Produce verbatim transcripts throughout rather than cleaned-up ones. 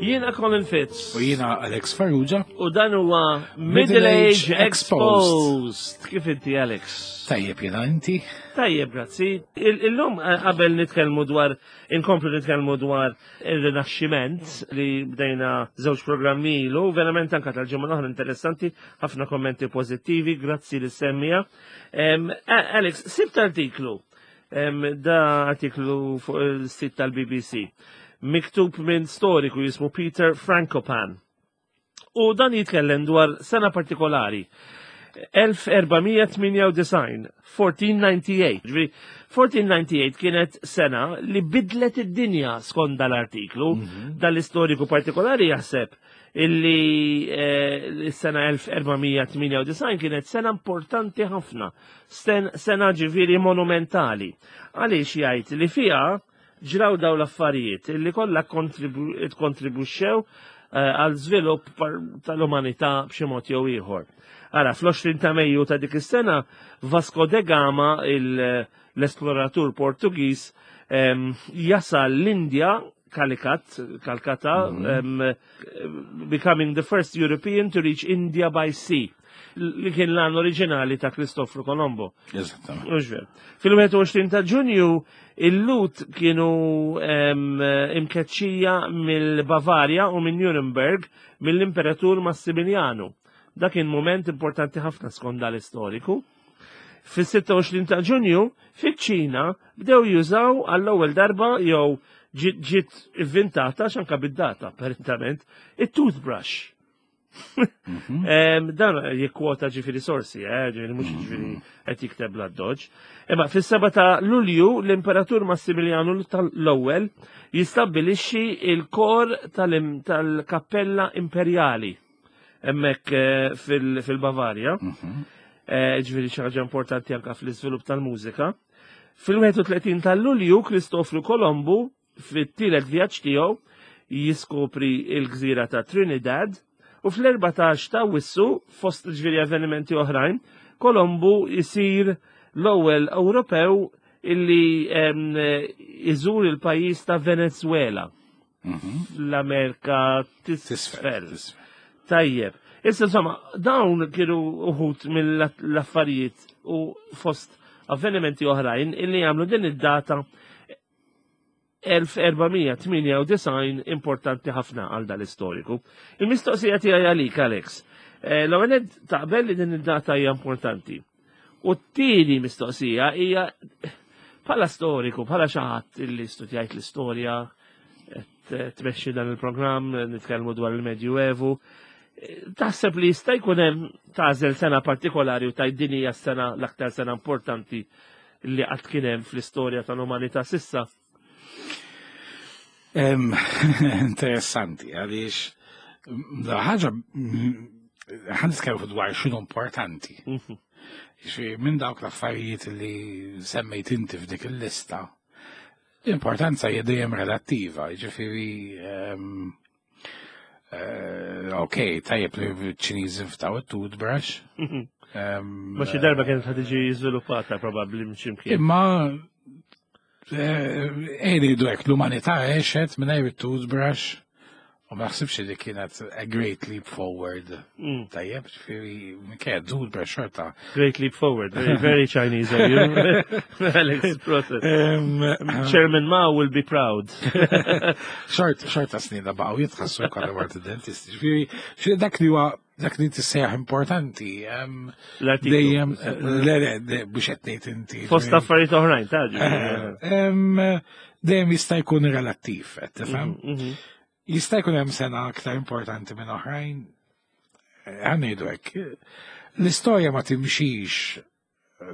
Jiena Colin Fitz. U jiena Alex Farrugia. U dan huwa Middle Age Exposed. Kif inti, Alex? Tajjeb jiena, inti? Tajjeb, grazzi. Illum eh, qabel nitkellmu dwar, inkomplu nitkellmu dwar il-Rinaxximent li bdejna żewġ programmi ilu, verament anka tal-ġimgħa l-oħra interessanti, ħafna kommenti pożittivi, grazzi li semmija. Alex, sibt artiklu, da artiklu fuq il-sit tal-B B C miktub minn storiku jismu Peter Frankopan. U dan jitkellem dwar sena partikolari. elf erba' mija tmienja u disgħin, elf erba' mija tmienja u disgħin. Ġifieri, elf erba' mija tmienja u disgħin kienet sena li bidlet id-dinja skont dal-artiklu. Mm -hmm. Dal-istoriku partikolari jaħseb illi eh, s-sena elf erba' mija tmienja u disgħin kienet sena importanti ħafna, sena ġifieri monumentali. Għaliex jgħid li fiha ġraw daw l-affarijiet illi kollha kontribuxxew eh, għal żvilupp tal-umanità b'xi mod jew ieħor. Ara, fl-għoxrin ta' Mejju ta' dik is-sena, Vasco de Gama, l-esploratur Portugiż, jasal l-Indja, Calicut, Calcutta, mm -hmm. um, becoming the first European to reach India by sea, li kien l-għan oriġinali ta' Cristoforo Colombo. Eżattament. Fil-wieħed u għoxrin ta' Ġunju, il-Lhud kienu imkeċċija mill-Bavarja u minn Nuremberg mill-Imperatur Massimiliano. Dak kien moment importanti ħafna skont dal-istoriku. Fis-sitta u għoxrin ta' Ġunju, fiċ-Ċina bdew jużaw għall-ewwel darba jew ġiet inventata xanka bid-data, apparentament, it-toothbrush. Mhm. Dan jikkwota ġifieri sorsi, eh, ġifieri mhux ġifieri qed jikteb l-addoġ. Imma fis-seba ta' Lulju l-Imperatur Massimiliano l-ewwel jistabbilixxi il-kor tal-Kappella Imperjali hemmhekk eh, fil-Bavarja. Mhm. Eh, ġifieri xi ħaġa importanti anke fl-iżvilupp tal-mużika. Fil-wieħed u tletin ta' Lulju, Kristofru Kolombu fit-tielet vjaġġ tiegħu jiskopri il-gżira ta' Trinidad u fl-erbatax ta' Awwissu, fost ġifieri avvenimenti oħrajn, Kolombu jisir l-ewwel Ewropew illi iżur il-pajjiż ta' Venezuela. Mhm. L-Amerika t'Isfel. Tajjeb. Issa insomma, dawn kienu uħud mill-affarijiet u fost avvenimenti oħrajn illi jagħmlu din id-data elf erba' mija tmienja u disgħin importanti ħafna għal dal-istoriku. Il-mistoqsija tiegħi għalik, Alex. Eh, l-ewwel, taqbel li din id-data hija importanti? U t-tieni mistoqsija hija, bħala storiku, bħala xi ħadd illi studjajt l-istorja, tmexxi dan il-programm, nitkellmu dwar il-Medjuevu, taħseb li jista' jkun hemm tagħżel sena partikolari u tgħid din hija s-sena l-aktar sena importanti li qatt kien hemm fl-istorja tal-umanità s'issa? Interessanti, għaliex ħaġa ħa nitkellmu dwar x'inhu importanti. Mhm. Minn dawk l-affarijiet li semmejt inti f'dik il-lista, l-importanza hija dejjem relattiva, ġifieri eh, ok, tajjeb li ċ-Ċiniżi ftaw it-toothbrush. Mhm. Ma xi darba kienet ħad tiġi żviluppata probabbli minn x'imkien. Imma ejja ngħidu hekk, l-umanità għexet mingħajr it-toothbrush u ma naħsibx li kienet a great leap forward. Mm. Tajjeb, ġifieri, kienet toothbrush xorta. Great leap forward, very, very Chinese of you. Alex Process. Chairman Mao will be proud. Xort, xorta snina baqgħu jitħassu jkollha mort id-dentist. Ġifieri, dak li huwa dak li tissejjaħ importanti. Dejjem, le, le, biex qed ngħid inti. Fost affarijiet oħrajn, ta' Dejjem jista' jkun relattiv, qed tifhem? Mhm, mhm. Jista' jkun hemm sena aktar importanti minn oħrajn. Ħa ngħidu hekk. L-istorja ma timxix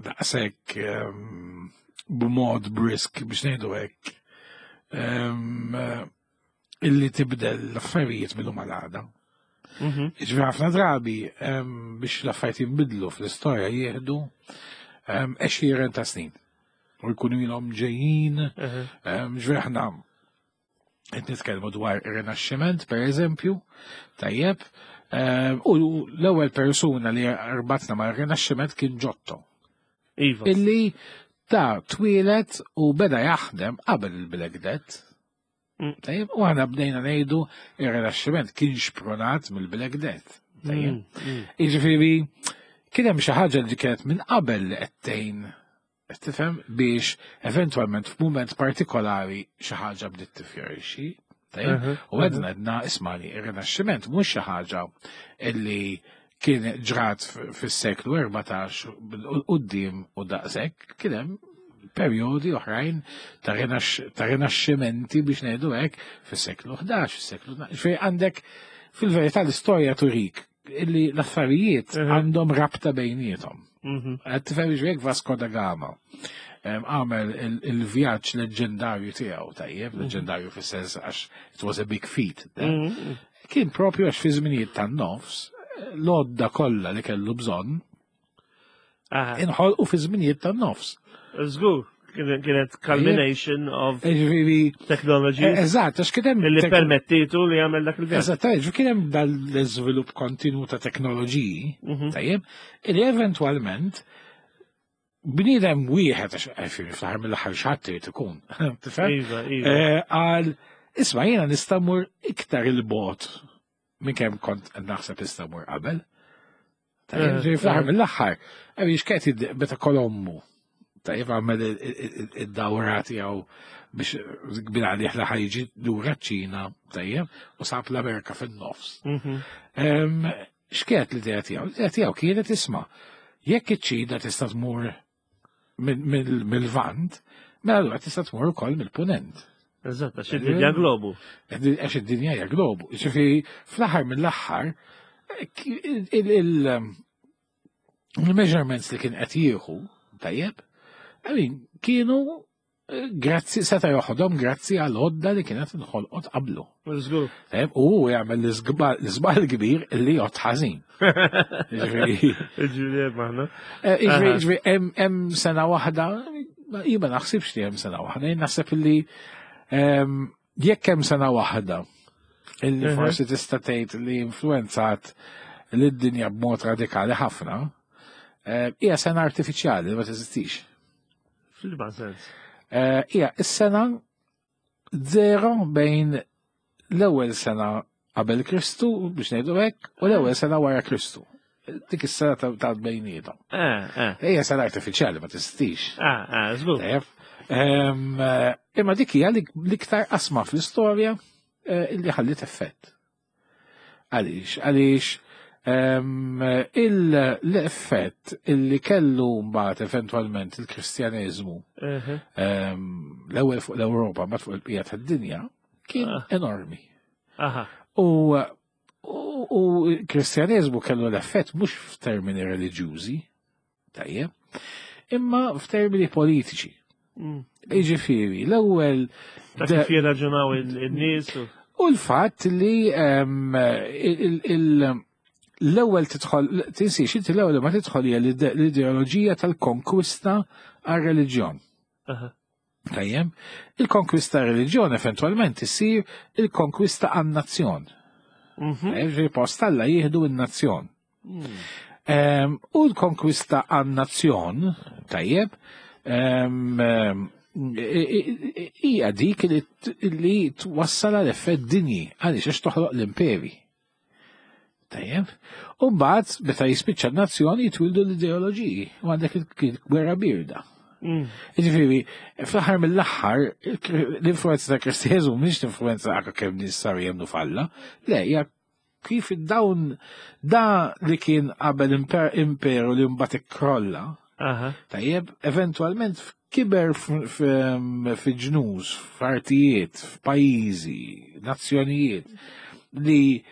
daqshekk b'mod brisk, biex ngħidu hekk, illi tibdel l-affarijiet mill-lum għal għada. Mhm. Ġifieri ħafna drabi biex l-affarijiet jinbidlu fl-istorja jieħdu għexieren ta' snin. U jkunu ilhom ġejjin, ġifieri aħna qed nitkellmu dwar ir-Rinaxximent, per eżempju, tajjeb, u l-ewwel persuna li rbatna ma' rinaxximent kien Giotto. Iva. Illi ta' twieled u beda jaħdem qabel il-Black Death. Mm. Tajjeb, u aħna bdejna ngħidu ir-Rinaxximent kien xprunat mill-Black Death. Tajjeb. Mm, mm. Jiġifieri kien hemm xi ħaġa li kienet minn qabel li qed tgħin qed tifhem biex eventwalment f'mument partikolari xi ħaġa bdiet tifjorixxi. Tajjeb? Mhm, U għedna għedna ismani, ir-Rinaxximent mhux xi ħaġa illi kien ġrat f- fis-seklu erbatax u quddiem u daqshekk, kien hemm perjodi oħrajn ta' rinax- ta' rinaxximenti biex ngħidu hekk fis-seklu ħdax, fis-seklu tnax. Fej għandek fil-verità l-istorja turik illi l-affarijiet Mhm. għandhom rabta bejniethom. Mhm. Qed tifhem jiġifieri Vasco da Gama em, għamel il- il-vjaġġ leġendarju tiegħu tajjeb, leġendarju fis-sens għax it was a big feat. Mhm. Kien propju għax fi żminijiet tan-nofs l-għodda kollha li kellu bżonn Aha. inħolqu fi żminijiet tan-nofs. Żgur, kienet kienet culmination of Ġifieri, technologies eżatt, għax kien hemm li tek- permettitu li jagħmel dak il-vjaġġ. Eżatt, ġifieri kien hemm dal-iżvilupp kontinu ta' teknoloġiji, Mhm. tajjeb, li eventwalment bniedem wieħed għax eh, fl-aħħar mill-aħħar xi irid ikun, tifhem? Iva, iva. Eh, Għal, isma' jiena nista' mmur iktar il-bogħod minn kemm kont naħseb nista' mmur qabel. Tajjeb, Eh, ġifieri fl-aħħar eh. mill-aħħar, għax kienet meta Kolommu, tajjeb għamel id-dawra tiegħu biex kbir għalih li ħa jiġi lura ċ-Ċina, tajjeb, u sab l-Amerika fin-nofs. Mhm. Em, X'kienet l-idea tiegħu? L-idea tiegħu kienet isma' jekk iċ-Ċina tista' tmur mill- mill- mill-Lvant, mela allura tista' tmur ukoll mill-Punent. Eżatt, għax id-dinja globu. Għax id-dinja hija globu. Ġifieri fl-aħħar mill-aħħar il- il- il-measurements li kien qed jieħu, tajjeb, I mean, kienu eh, grazzi seta' joħodhom grazzi għal għodda li kienet inħolqot qablu. Żgur. Tajjeb, u hu jagħmel l-iżgba- l-iżbal kbir li jgħod ħażin. Ġifieri, Ġifieri maħna. eh, ġifieri, Aha. ġifieri, hemm hemm sena waħda, jien ma naħsibx li hemm sena waħda, jien naħseb li em, jekk hemm sena waħda illi Mhm. forsi tista' tgħid li influenzat lid-dinja b'mod radikali ħafna, eh, hija sena artifiċjali li ma teżistix. Fil-ma sens. Eh, Hija is-sena zero bejn l-ewwel sena qabel Kristu biex ngħidu hekk u l-ewwel sena wara Kristu. Dik is-sena ta' ta' bejniethom. Eh, eh. Hija sena artifiċjali ma teżistix. Ah, ah, żgur. Tajjeb. Em, eh, Imma dik hija l- l-iktar qasma fl-istorja eh, illi ħallit effett. Għaliex, għaliex em, il- l-effett illi kellu mbagħad eventwalment il-Kristjaneżmu Mhm. em, l-ewwel fuq l-Ewropa mbagħad fuq il-bqija tad-dinja kien Ah. enormi. Aha. U u u l-Kristjaneżmu kellu l-effett mhux f'termini reliġjużi, tajjeb, imma f'termini politiċi. Mm. Jiġifieri, l-ewwel Ta' kif jirraġunaw il-nies u. u l-fatt li em, il- il- l-ewwel tidħol tinsiex inti l-ewwel ma tidħol hija l-ide- l-ideoloġija tal-konkwista għar-reliġjon. Aha. Tajjeb, il-konkwista għar-reliġjon eventwalment issir il-konkwista għan-nazzjon. Mhm. Tajjeb, ġifieri post Alla jieħdu n-nazzjon. Mm. Em, U l-konkwista għan-nazzjon, tajjeb, em, em, i- i- i- hija dik li t- li twassal għal effett dinji, għaliex għax toħloq l-imperi. Tajjeb, u mbagħad meta jispiċċa n-nazzjon jitwildu l-ideoloġiji u għandek il-gwerra birda. Mm. Ġifieri, fl-aħħar mill-aħħar, l-influenza ta' Kristjaneżmu mhix l-influenza anke kemm nies saru jemmnu f'Alla, le hija kif dawn da li kien qabel imper- imperu li mbagħad ikkrolla, Aha. tajjeb, eventwalment kiber f- f- fi ġnus, f'artijiet, f'pajjiżi, nazzjonijiet li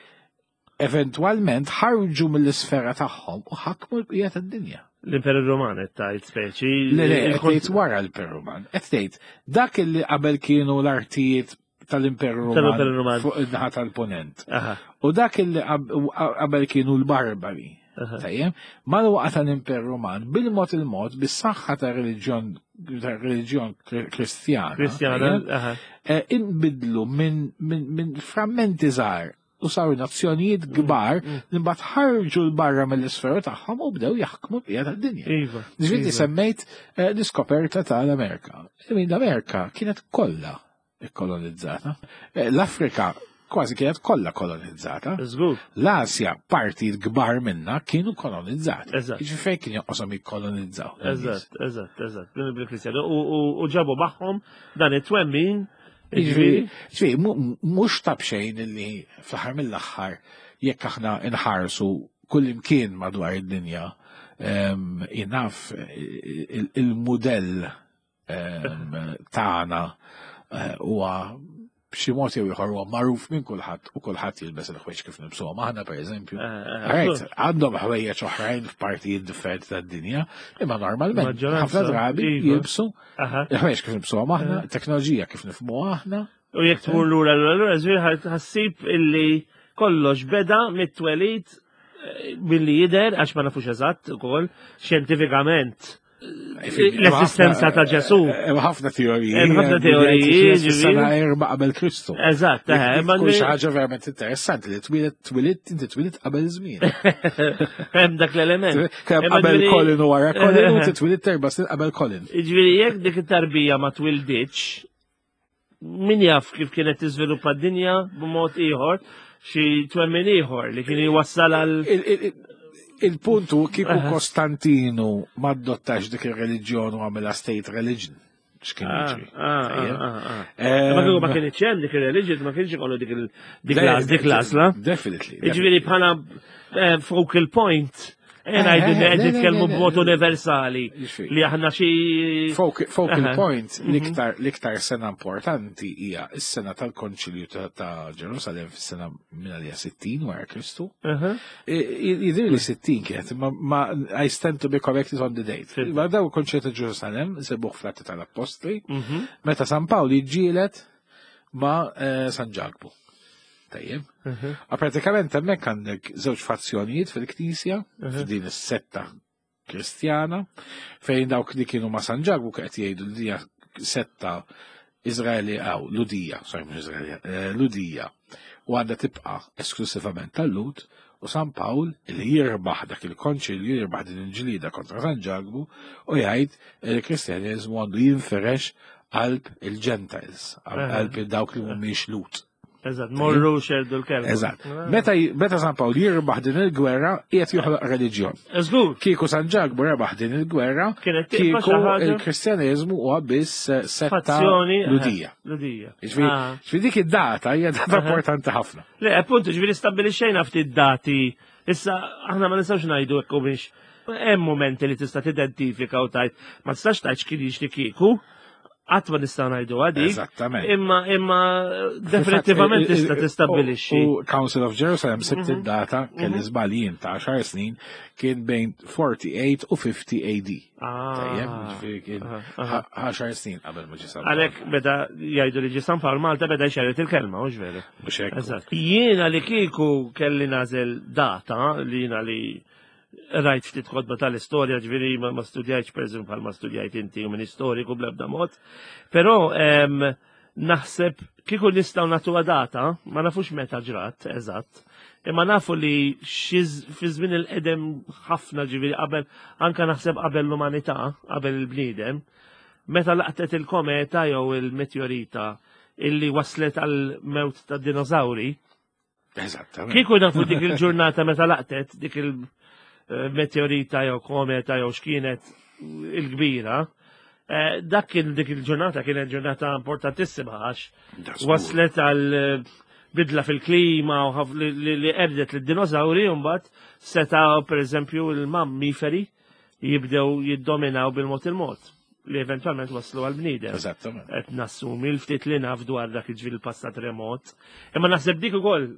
eventwalment ħarġu mill-isfera tagħhom u ħakmu l-bqija tad-dinja. L-Imperu Roman qed tgħid speċi. Le, le, il- qed tgħid wara l-Imperu Roman. Qed tgħid dak li qabel kienu l-artijiet tal-Imperu Tal-Imperu Roman Roman. fuq in-naħa tal-Ponent. Aha. U dak li qab- qabel kienu l-Barbari. Aha. Tajjeb, mal-waqa tal-Imperu Roman, bil-mod il-mod, bis-saħħa ta' reliġjon ta' reliġjon kristjana. Kristjana. tajjeb, Aha. eh, inbidlu minn min, min frammenti żgħar u saru nazzjonijiet kbar li mbagħad ħarġu l barra mill-isfera tagħhom u bdew jaħkmu l-bqija tad-dinja. Iva. Ġifieri iva. semmejt eh, l-iskoperta tal-Amerika. I mean, L-Amerika kienet kollha ikkolonizzata. Eh, L-Afrika kważi kienet kollha kolonizzata. Żgur. L-Asja parti kbar minna kienu kolonizzati. Eżatt. Jiġifieri fejn kien jonqoshom jikkolonizzaw. Eżatt, eżatt, eżatt. Bil-Kristjani. U ġabu magħhom dan it-twemmin. Jiġifieri, jiġifieri, mhux ta' bxejn li fl-aħħar mill-aħħar jekk aħna nħarsu kull imkien madwar id-dinja jien naf il-mudell tagħna eh, huwa b'xi mod jew ieħor huwa magħruf minn kulħadd u kulħadd jilbes il-ħwejjeġ kif nilbsuhom aħna, pereżempju. Eh, eh, Right, għandhom ħwejjeġ oħrajn f'partijiet differenti tad-dinja, imma normalment Maġġoranza, ħafna drabi iva. jilbsu Aha. il-ħwejjeġ kif nilbsuhom aħna, teknoloġija kif nifhmuha aħna. U jekk tmur lura lura lura, żvir ħassib illi kollox beda mit-twelid eh, billi jider, għax ma nafux eżatt ukoll, xjentifikament. L-esistenza ta' Ġesu. Hemm ħafna teoriji. Hemm ħafna teoriji, Sena ġifieri. erba' qabel Kristu. Eżatt, eh, ma Kull xi ħaġa verament interessanti li twieled twieled inti twieled qabel żmien. Hemm dak l-element. Kemm Imma qabel ġifieri- Colin u wara Colin u inti twieled erba' snin qabel Colin. Ġifieri jekk dik it-tarbija ma twilditx, min jaf kif kienet tiżviluppa d-dinja b'mod ieħor, xi twemmin ieħor li kien jwassal għal Il- il- Il-puntu kieku Kostantinu ma adottax dik ir-reliġjon u għamilha state religion. X'kien Ah, jiġri? ah, Tajjeb. ah, ah. Ehm, Ma kieku ma kienx hemm dik ir-religion, ma kienx ikollu dik il- dik l- dik l-għażla. Definitely. Ġifieri bħala eh, focal point, eh, ngħidu eh, li le, qed le, nitkellmu le, le, b'mod le. universali Jiġifieri. li aħna xi Focal focal Aha. point, l-iktar l-iktar sena importanti hija s-sena tal-Konċilju ta' ta' Ġerusalem fis-sena minn għalija sittin wara Kristu. Aha. Jidir li sittin kienet, ma, ma I stand to be corrected on the date. Fhimt. Ma daw il-Konċilju ta' Ġerusalem, sebuħ fl-Atti tal-Appostli, Mhm. meta San Pawl jiġġieled ma eh, San Ġakbu. Tajjeb. Mhm. A pratikament hemmhekk għandek żewġ fazzjonijiet fil-Knisja, f'din is-setta Kristjana, fejn dawk li kienu ma' San Ġakbu qed jgħidu li hija setta Izraeli għaw, Ludija, sorry, mhux Izraeli, eh, Ludija, u għandha tibqa' esklusivament tal-Lud, u San Pawl li jirbaħ dak il-konċilju, jirbaħ din il-ġlida kontra San Ġakbu, u jgħid li il-Kristjaneżmu għandu jinferex qalb il-Gentiles, qalb dawk li mhumiex Lud. Eżatt, morru xerdu l-kelma. Eżatt. Meta, meta San Pawl jirbaħ din il-gwerra, qiegħed joħloq reliġjon. Żgur. Kieku San Ġakbu rebaħ din il-gwerra, Kienet tibqa' kieku xi ħaġa- il-Kristjaneżmu huwa biss eh, setta Fazzjoni. eh, Ludija. Ludija. Ġifieri Ah. ġifieri dik id-data hija data importanti ħafna. Le, appunto, ġifieri stabbilixxejna ftit dati. Issa, aħna ma nistgħux ngħidu hekk u biex hemm momenti li tista' tidentifika u tajt. Ma tistax tgħid x'kien jiġri kieku. Qatt ma nistgħu ngħidu għadik. Eżattament. Imma imma definitivament tista' tistabbilixxi. U Council of Jerusalem sibt id-data kelli żbaljien ta' għaxar snin, kien bejn erbgħa u erbgħin u ħamsin A D. Ah. Tajjeb, ġifieri kien Aha, aha. għaxar snin qabel ma ġie San Pawl. Għalhekk beda jgħidu li ġie San Pawl Malta beda jxerred il-kelma, hux veru? Mhux hekk. Eżatt. Jiena li kieku kelli nagħżel data li jiena li rajt ftit kotba tal-istorja, ġifieri ma, ma studjajtx per eżempju bħal ma studjajt inti u minn istoriku bl-ebda mod, però em, naħseb kieku nistgħu nagħtuha data, ma nafux meta ġrat, eżatt, imma nafu li xi fi żmien il-qedem ħafna, ġifieri qabel, anka naħseb qabel l-umanità, qabel il-bniedem, meta laqtet il-kometa jew il-meteorita illi waslet għal mewt ta' dinosauri, Eżattament. kieku nafu dik il-ġurnata meta laqtet dik il-meteorita jew kometa jew x'kienet il-kbira, eh, dak kien dik il-ġurnata kienet ġurnata importantissima għax Da żgur. waslet għal eh, bidla fil-klima u ħaf- li- li li qerdet lid-dinosauri, u mbagħad seta' per eżempju il-mammiferi jibdew jiddominaw bil-mod il-mod li eventualment waslu għal bniedem. Eżattament. Qed nassumi l-ftit li naf dwar dak il-ġifieri il-passat remot. Imma naħseb dik ukoll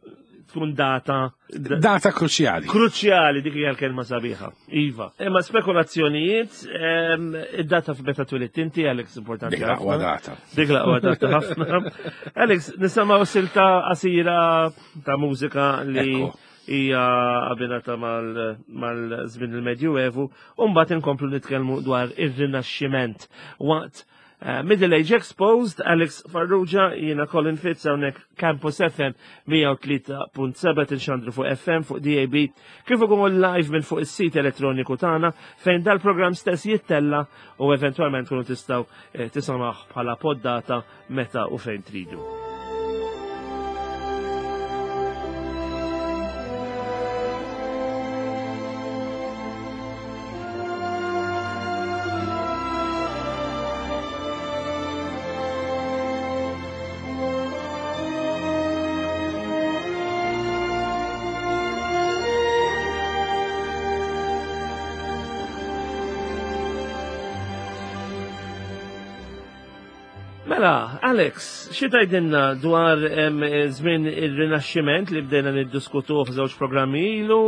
tkun data Data kruċjali. kruċjali, dik hija l-kelma sabiħa. Iva. Imma spekulazzjonijiet, em, id-data f'meta twilidt inti, Alex, importanti Dik l-aqwa ħafna. data. Dik l-aqwa data ħafna. Alex, nisimgħu silta qasira ta' mużika li Ekku. hija abbinata mal-żmien il-Medjuevu, u mbagħad inkomplu nitkellmu dwar ir-Rinaxximent waqt Uh, Middle Age Exposed, Alex Farrugia, jiena Colin Fitz, hawnhekk Campus F M mija u tlieta punt seba' tinxandru fuq F M, fuq D A B, kif ukoll live minn fuq is-sit elettroniku tagħna fejn dal-programm stess jittella u eventwalment tkunu tistgħu eh, tisimgħu bħala poddata meta u fejn tridu. Mela, Alex, xi tgħidilna dwar em, żmien ir-Rinaxximent li bdejna niddiskutuh f'żewġ programmi ilu?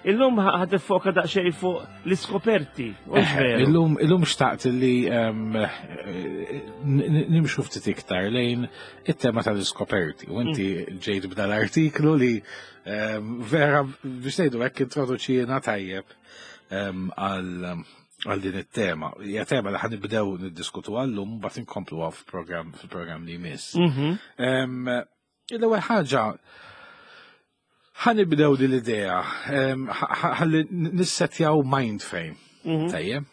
Illum ħa tiffoka daqsxejn fuq l-iskoperti. Hux Eh, veru? Illum, illum xtaqt li em, eh, n- nimxu ftit iktar lejn it-tema tal-iskoperti. U inti ġejt b'dal artiklu li em, vera biex ngħidu hekk introduċina tajjeb em, għal għal din it-tema. Hija tema li ħa nibdew niddiskutu għallum, mbagħad inkompluha f'programm fil-programm li jmiss. Mhm. Em, L-ewwel ħaġa, ħa nibdew din l-idea, em, ħa- ħa- ħalli nissetjaw mind frame. Mhm. Tajjeb.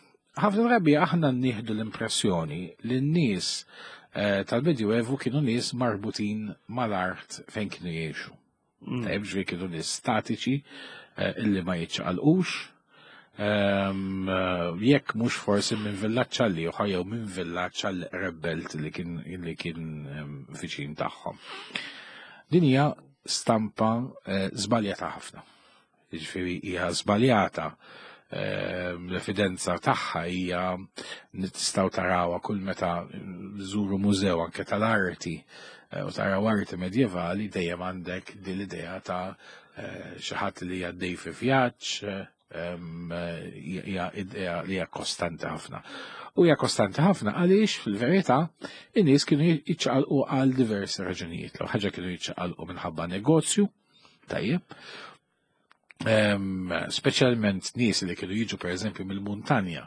Ħafna drabi aħna nieħdu l-impressjoni li n-nies eh, tal-Medjuevu kienu nies marbutin mal-art fejn kienu jgħixu. Mm. Tajjeb, ġifieri kienu nies statiċi eh, illi ma jiċċaqalqux. Ehm, eh, Jekk mhux forsi minn villaġġ għal ieħor jew minn villaġġ għal rebbelt li kien li kien ehm, viċin tagħhom. Din hija stampa eh, żbaljata ħafna. Jiġifieri hija żbaljata, ehm, l-evidenza tagħha hija nistgħu tarawha kull meta żuru mużew anke tal-arti eh, u taraw arti medjevali, dejjem għandek din l-idea ta' eh, xi ħadd li għaddej fi vjaġġ, eh, em, eh, hija idea li hija kostanti ħafna. U hija kostanti ħafna għaliex fil-verità in-nies kienu jiċċaqalqu għal diversi raġunijiet. L ħaġa, kienu jiċċaqalqu minħabba negozju, tajjeb, Em, speċjalment nies li kienu jiġu per eżempju mill-muntanja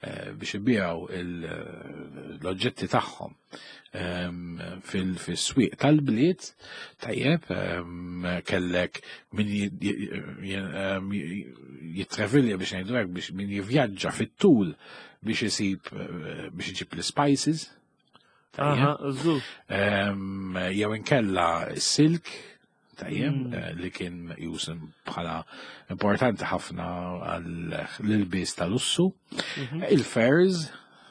eh, biex ibijaw l-oġġetti tagħhom em, fil- fis-swieq tal-bliet, tajjeb, em, kellek min ji- ji- em, jittravilja biex ngħidu hekk, biex min jivvjaġġa fit-tul biex isib eh, biex iġib l-spices. Tajjeb. Aha, żgur. Em, jew inkella silk, tajjeb, Mm. eh, li kien meqjus bħala importanti ħafna għall-ilbies tal-lussu. Mhm. Il-furs,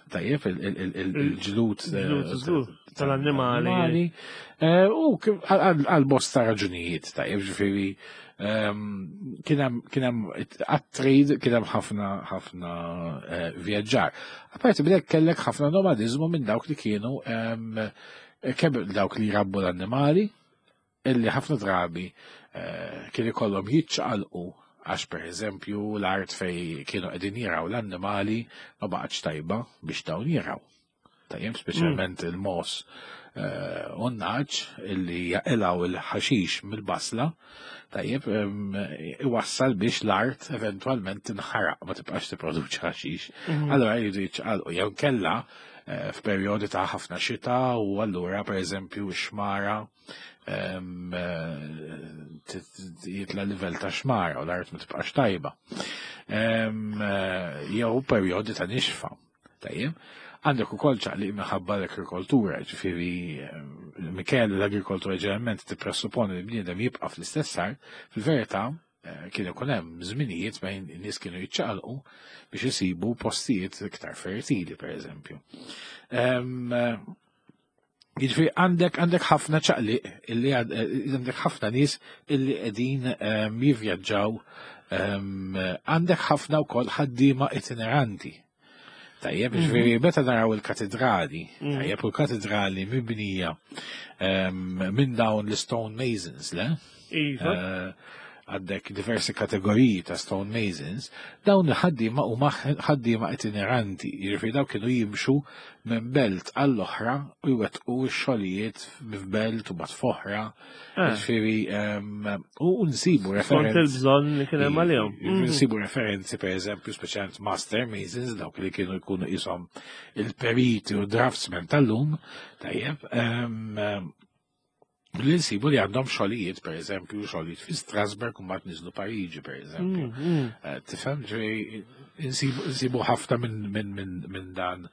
tajjeb, il- il- il- il- il-ġlud eh, Il-ġlud, żgur, tal-annimali. tal-annimali. Eh, U kif- għal għal bosta raġunijiet, tajjeb, ġifieri ehm, kien hemm kien hemm għat-trade, kien hemm ħafna ħafna eh, vjaġġar. Apparti minn hekk kellek ħafna nomadizmu minn dawk li kienu ehm, kemm dawk li jrabbu l-annimali, illi ħafna drabi eh, kien ikollhom jiċċaqalqu għax per eżempju l-art fej kienu qegħdin jiraw l-annimali ma baqgħetx tajba biex dawn jiraw. Tajjeb, speċjalment il-mogħoż eh, u n-nagħaġ illi jaqilgħu il-ħaxix mill-basla, tajjeb, em, iwassal biex l-art eventwalment tinħaraq, ma tibqax tipproduċi ħaxix. Mhm. Allora jridu jiċċaqalqu jew kella eh, f'perjodi ta' ħafna xita u allura per eżempju x-xmara em, eh, t- t- jitla livell ta' xmara u l-art ma tibqax tajba. Em, eh, Jew perjodi ta' nixfa. Tajjeb. Għandek ukoll ċaqliq minħabba l-agrikoltura, ġifieri em, minkejja li l-agrikoltura ġeneralment tippresupponi li bniedem jibqa' fl-istess art, fil-verità eh, kien ikun hemm żminijiet bejn in-nies kienu jiċċaqalqu biex isibu postijiet iktar fertili, per eżempju. Em, eh, Jiġifieri għandek għandek ħafna ċaqliq illi għad- eh, għandek ħafna nies illi qegħdin em, jivvjaġġaw, em, għandek ħafna wkoll ħaddiema itineranti. Tajjeb, ġifieri meta naraw il-katedrali, Mhm. tajjeb, u l-katedrali mibnija em, minn dawn l-stone masons, le? Iva. Eh, Għandek diversi kategoriji ta' stone masons, dawn il-ħaddiema huma ħaddiema itineranti, jiġifieri dawn kienu jimxu minn belt għall-oħra u jwettqu x-xogħlijiet f'belt u mbagħad f'oħra. Eh. Jiġifieri u nsibu Skont referenzi. Il-bżonn li kien hemm għalihom. Mhm. Nsibu referenzi, per eżempju, speċjalment master masons, dawk li kienu jkunu jisom il-periti u draftsmen tal-lum, tajjeb, em, li nsibu li għandhom xogħlijiet, per eżempju, xogħlijiet fi Strasburg u mbagħad niżlu Pariġi, per eżempju. Mm, mm. Eh, Tifhem, ġifieri, insibu insibu ħafna minn min, min, min dan.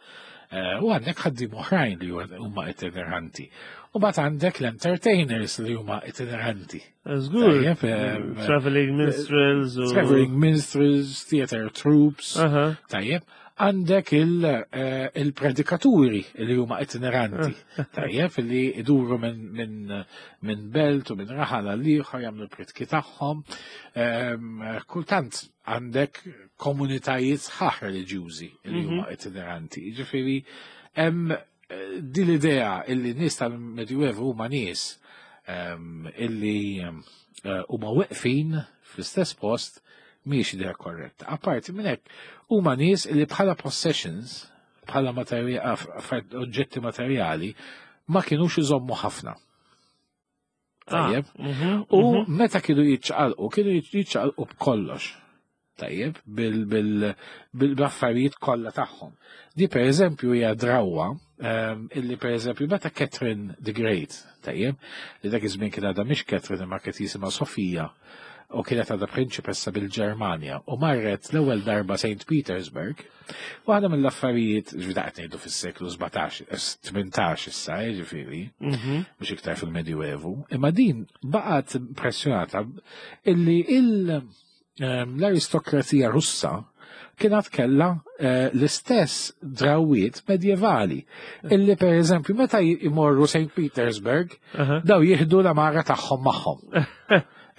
Eh, U għandek ħaddiema oħrajn li huma itineranti. U mbagħad għandek l-entertainers li huma itineranti. Żgur. Tajjeb, em, Traveling minstrels u. Traveling minstrels, theater troops, Aha. tajjeb, għandek il, eh, il-predikaturi li huma itineranti, tajjeb, li iduru minn min, min belt u minn raħal għal ieħor jagħmlu l-pritki tagħhom. Em, Kultant għandek komunitajiet sħaħ reliġjużi li huma itineranti. Jiġifieri hemm eh, din l-idea illi nies tal-Medjuevu huma nies em, illi em, eh, huma weqfin fl-istess post mhijiex idea korretta. Apparti minn hekk, huma nies li bħala possessions, bħala materja- affar- oġġetti materjali, ma kienux iżommu ħafna. Tajjeb. Ah, mhm, U mhm. meta kienu jiċċaqalqu, kienu jiċċaqalqu b'kollox. Tajjeb, bil-affarijiet kollha tagħhom. Di per eżempju hija drawwa ehm, illi per eżempju meta Catherine the Great, tajjeb, li dak iż-żmien kien għadha mhix Catherine imma kienet jisimha Sofija u kienet għadha prinċipessa bil-Ġermanja u marret l-ewwel darba Saint Petersburg. Waħda mill-affarijiet, ġifieri qed ngħidu fis-seklu sbatax, tmintax issa, ġifieri, Mhm. mhux iktar fil-Medjuevu, imma din baqgħet impressjonata illi il- ehm, l-aristokrazija Russa kienet kella eh, l-istess drawiet medjevali illi per eżempju meta jmorru Saint Petersburg Aha. daw jieħdu l-amara tagħhom magħhom.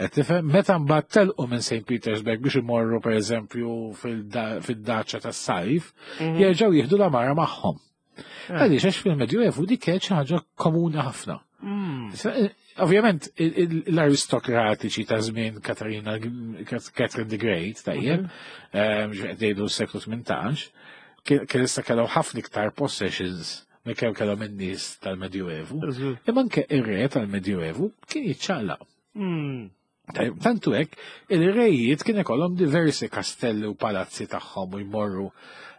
Qed tifhem? Meta mbagħad telqu minn Saint Petersburg biex imorru per eżempju fid-daċċa tas-sajf, Mhm. jerġgħu jieħdu l-amara magħhom. Eh. Għaliex għax fil-Medjuevu dik kienet xi ħaġa komuni ħafna. Mm. Ovvjament, il- il- l-aristokratiċi ta' żmien Katarina, Catherine the Great, tajjeb, ehm, ġifieri ngħidu s-seklu tmintax, kien kien issa kellhom ħafna iktar possessions minn kemm kellhom in-nies tal-Medjuevu. Żgur. Imma anke ir-re tal-Medjuevu kien jiċċaqlaq. Mm. Tajjeb, tantu hekk, il-rejiet kien ikollhom diversi kastelli u palazzi tagħhom u jmorru.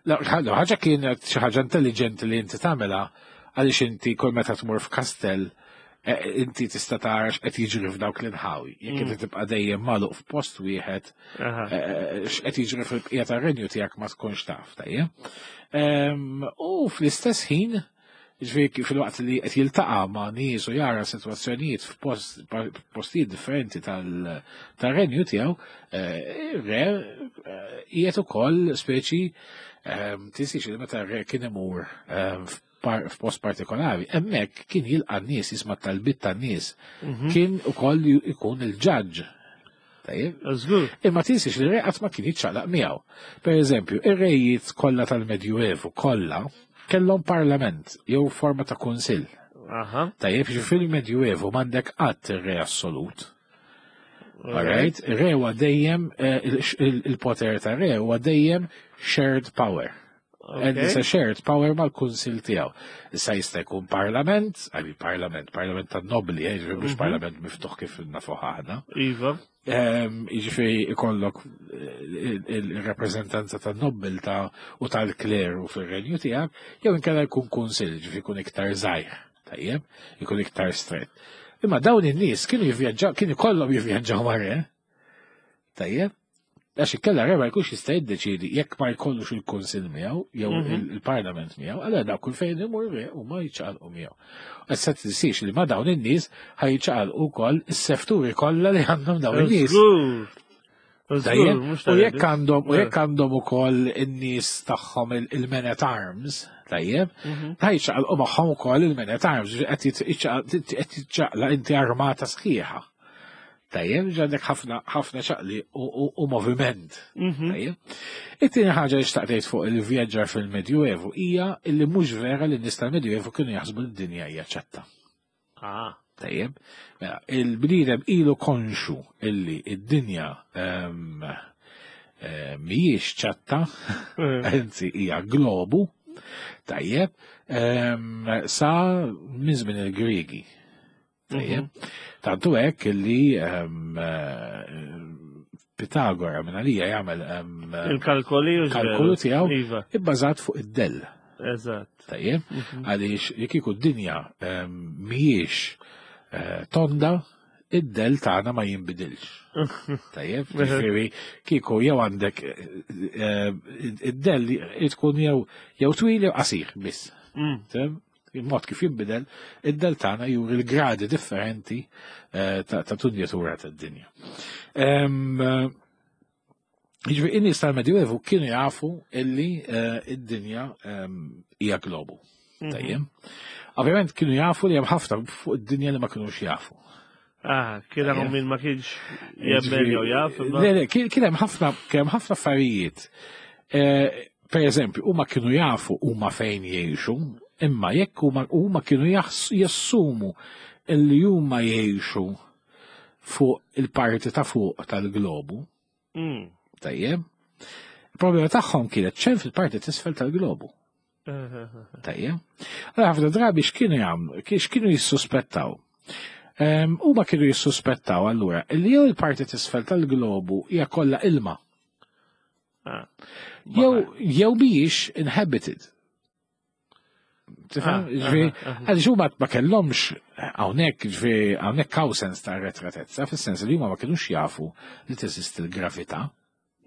La- la ħaġa kienet xi ħaġa intelligenti li inti tagħmilha għaliex inti kull meta tmur f'kastell eh, inti tista' tara x'qed jiġri f'dawk l-inħawi. Jekk inti tibqa' dejjem magħluq f'post wieħed, Aha. eh, x'qed jiġri fil-bqija tar-renju tiegħek ma tkunx taf, tajjeb. Em, U fl-istess ħin, ġifieri fil-waqt li qed jiltaqa' ma' nies u jara sitwazzjonijiet f'post postijiet differenti tal- tar-renju tiegħu, eh, ir-re eh, qiegħed ukoll speċi ehm, tinsiex li meta r-re kien imur ehm, f'par- f'post partikolari, hemmhekk kien jilqa' n-nies, jisma' talbit tan-nies, Mhm. kien ukoll ikun il-ġaġġ. Tajjeb? Żgur. Imma tinsiex li re qatt ma kien jiċċaqlaq miegħu. Per eżempju, ir-rejiet kollha tal-Medjuevu kollha kellhom parlament jew forma ta' kunsill. Aha. Tajjeb, ġi fil-Medjuevu m'għandek qatt ir-re assolut. Alright? Ir-re huwa dejjem eh, il- il- il-poter ta' re huwa dejjem shared power. And it's a Okay. shared power mal-kunsil tiegħu. Issa jista' jkun parlament, għabi parlament, parlament tan nobli, eh, ġifieri mhux Mhm. parlament miftuħ kif nafuh aħna. Iva. Ehm, Jiġifieri ikollok eh, il-rappreżentanza tan-nobbiltà u tal-kleru fir-renju tiegħek, jew inkella jkun kunsill, ġifieri jkun iktar żgħir, tajjeb, jkun iktar strett. Imma dawn in-nies kienu jivvjaġġaw, kienu kollhom jivvjaġġaw mar-re. Tajjeb? Għax inkella re ma jkunx jista' jiddeċiedi jekk ma jkollux il-kunsill miegħu jew Mhm. il- il-parlament miegħu, allura daw kull fejn imur re u ma jiċċaqalqu miegħu. Issa tinsiex li ma dawn in-nies ħajċaqalqu wkoll is-sefturi kollha li għandhom dawn in-nies. Żgur. Żgur, Tajjeb, mhux u jekk tajjeb. għandhom u Eh. jekk għandhom ukoll in-nies tagħhom il- il-men at arms, tajjeb, Mhm. ħajċaqalqu magħhom ukoll il-men at arms, ġifieri qed jitċaqal- qed jiċċaqla inti armata sħiħa. Tajjeb, ġandek ħafna ħafna ċaqli u, u, u moviment. Mhm. Tajjeb. It-tieni ħaġa li xtaqtejt fuq il-vjaġġar fil-Medjuevu hija illi mhux vera li n-nies tal-Medjuevu kienu jaħsbu li d-dinja hija ċatta. Ah. Tajjeb, mela, il-bniedem ilu konxu illi id-dinja ehm, eh, mhijiex ċatta, anzi hija globu, tajjeb, ehm, sa minn żmien il-Griegi. Tajjeb, tantu hekk illi ehm, eh, Pitagora minn għalija jagħmel ehm, Il-kalkoli u kalkolu tiegħu Iva, ibbażat fuq id-dell. eżatt. Tajjeb, għaliex jekk kieku d-dinja ehm, mhijiex eh, tonda, id-dell tagħna ma jinbidilx. Tajjeb, ġifieri kieku jew għandek eh, eh, id-dell tkun jew jew twil jew qasir biss. Mm. Tifhem? Il-mod kif jinbidel, id-dell tagħna juri l-gradi differenti eh, ta' ta' tunjatura tad-dinja. Ehm, eh, Jiġifieri in-nies tal-Medjuevu kienu jafu illi eh, id-dinja ehm, hija globu. Tajjeb. Ovvjament kienu jafu li hemm ħafna fuq id-dinja li ma kinux jafu. Ah, kien hawn min ma kienx jemmen jew jaf. imma- Le, le, kien kien hemm ħafna kien hemm ħafna affarijiet. Eh, Per eżempju, huma kienu jafu huma fejn jgħixu, imma jekk huma huma kienu jaħs- jassumu illi huma jgħixu fuq il-parti ta' fuq tal-globu, Mm. tajjeb. Il-problema tagħhom kienet ċen fil-parti t'isfel tal-globu. Tajjeb. Allora ħafna drabi x'kienu jagħmlu, x'kienu jissuspettaw. Ehm, Huma kienu jissuspettaw allura li jew il-parti t'isfel tal-globu hija kollha ilma, Ah. jew jew mhijiex inhabited. Tifhem? Ah, Ġifieri, aha, aha. għaliex huma ma kellhomx hawnhekk ġifieri hawnhekk hawn sens ta' retratezza, fis-sens li huma ma kinux jafu li teżisti l-gravità.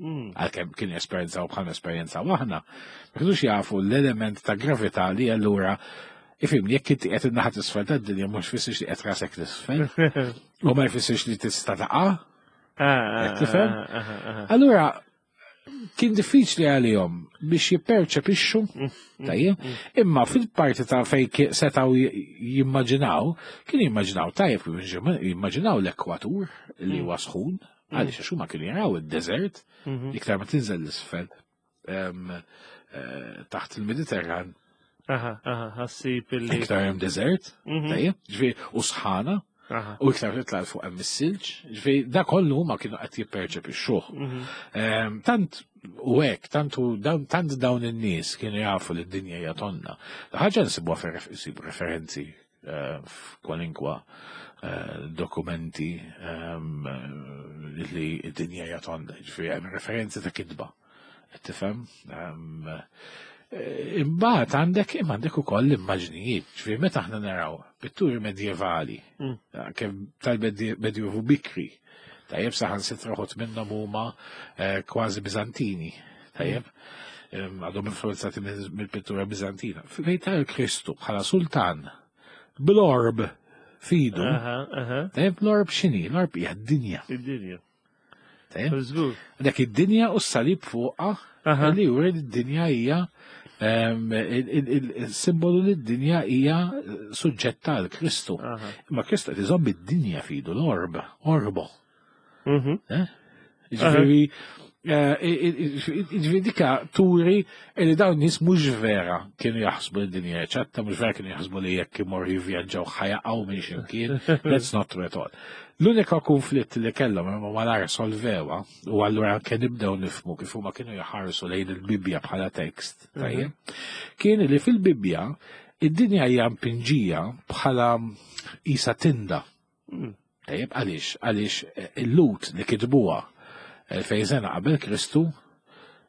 Mm. Għalkemm kienu esperjenzaw bħal esperjenzaw aħna, ma kinux jafu l-element ta' gravità li allura ifhimni, jekk inti qed in-naħa t'isfel tad-dinja mhux jfissirx li qed rasek l-isfel, u ma jfissirx li tista' taqa'. Ah, ah, Qed tifhem? ah, ah, ah, ah. Allura kien diffiċli għalihom biex jipperċepixxu, tajjeb, imma fil-parti ta' fej ki- setgħu j- jimmaġinaw, kienu jimmaġinaw tajjeb, jimmaġinaw l-ekwatur li huwa sħun, għaliex għax huma kienu jaraw id-desert, Mhm. iktar ma tinżel l-isfel em, eh, taħt il-Mediterran, Aha, aha, ħassib illi. iktar hemm desert, Mhm. tajjeb, ġifieri u sħana, Aha. u iktar titla' fuq hemm is-silġ, ġifieri da kollu huma kienu qed jipperċepixxuh. Mhm. Em, Tant u hekk, tant u dawn- tant dawn in-nies kienu jafu li d-dinja hija tonna. Ħaġa nsibuha fir- nsibu referenzi eh, f'kwalinkwa eh, dokumenti em, eh, li d-dinja hija tonda, ġifieri hemm referenzi ta' kitba. Qed Tifhem? Em, eh, Imbagħad għandek imma għandek ukoll l-immaġnijiet, ġifieri meta aħna naraw pitturi medjevali, Mm. kemm tal-Medjuevu bikri, tajjeb saħansitra uħud minnhom huma eh, kważi Bizantini, tajjeb, Em, għadhom influenzati mill- mill-pittura Bizantina. Fejn tara Kristu bħala sultan bl-orb f'idu, Aha, aha. tajjeb l-orb x'inhi? L-orb hija d-dinja, Id-dinja. tajjeb. Żgur. Dak id-dinja u s-salib fuqha Aha. li juri li d-dinja hija em, il- il- il- il-simbolu li d-dinja hija suġġetta għal Kristu. Aha. Imma Kristu qed iżomm id-dinja f'idu l-orb, orbo. Mhm. Eh? Ġifieri, eh, i- i- ġifieri dika turi li dawn nies mhux vera kienu jaħsbu li d-dinja hija ċatta, mhux vera kienu jaħsbu li jekk imorru jivvjaġġaw ħa jaqgħu minn x'imkien. That's not true at all. L-unika konflitt li kellhom imma malar solvewa u allura anke nibdew nifhmu kif huma kienu jħarsu lejn il-Bibbja bħala tekst, tajjeb, kien li fil-Bibbja id-dinja hija mpinġija bħala isa tinda. Mm. Tajjeb, għaliex, għaliex eh, il-Lhud li kitbuha elfejn sena qabel Kristu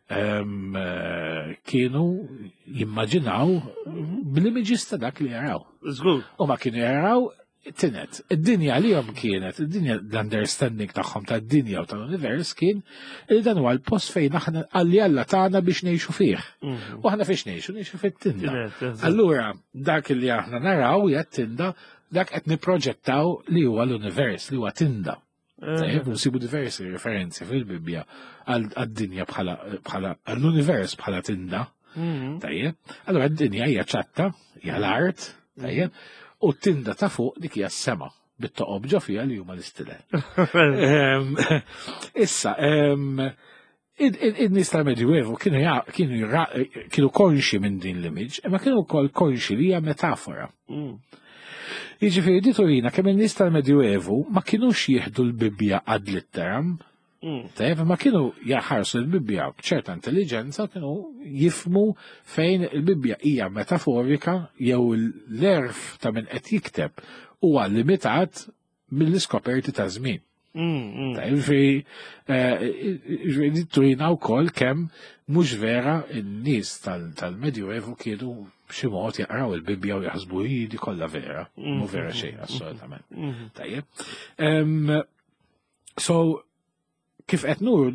em, eh, kienu jimmaġinaw bl-images ta' dak li jaraw. Żgur. U ma kienu jaraw tinet. Id-dinja li jom kienet, id-dinja l-understanding tagħhom tad-dinja u tal-univers kien li dan huwa l-post fejn aħna għalli Alla tagħna biex ngħixu fih. Mhm. U aħna fiex ngħixu, ngħixu fit-tinda. Tinet, eżatt. Allura, dak li aħna naraw hija t-tinda, dak qed nipproġettaw li huwa l-univers, li huwa tinda. Tajjeb, nsibu diversi referenzi fil-Bibbja għal- għad-dinja bħala bħala għall-univers bħala tinda. Mhm. Tajjeb. Allura d-dinja hija ċatta, hija l-art, tajjeb, u t-tinda ta' fuq dik hija s-sema bit-toqob ġo fiha li huma l-istilel. Ehm, Issa, ehm, in-nies tal-Medjuevu kienu ja- kienu jra- kienu konxi minn din l-image, imma kienu wkoll konxi li hija metafora. Mm. Jiġifieri di turina kemm in-nies tal-Medjuevu ma kinux jieħdu l-Bibbja ad litteram, Mm. Tajjeb, ma kienu jaħarsu l-Bibbja b'ċerta intelligenza, kienu jifhmu fejn il-Bibbja hija metaforika jew l-għerf ta' min qed jikteb huwa limitat mill-iskoperti ta' żmien. Mm, mm. Tajjeb, ġifieri, eh, ġifieri turina wkoll kemm mhux vera n-nies tal- tal-Medjuevu kienu b'xi mod jaqraw il-Bibbja u jaħsbu hi di kollha vera, mhu vera xejn assolutament. Mhm. Tajjeb. Em, So, kif qed nur,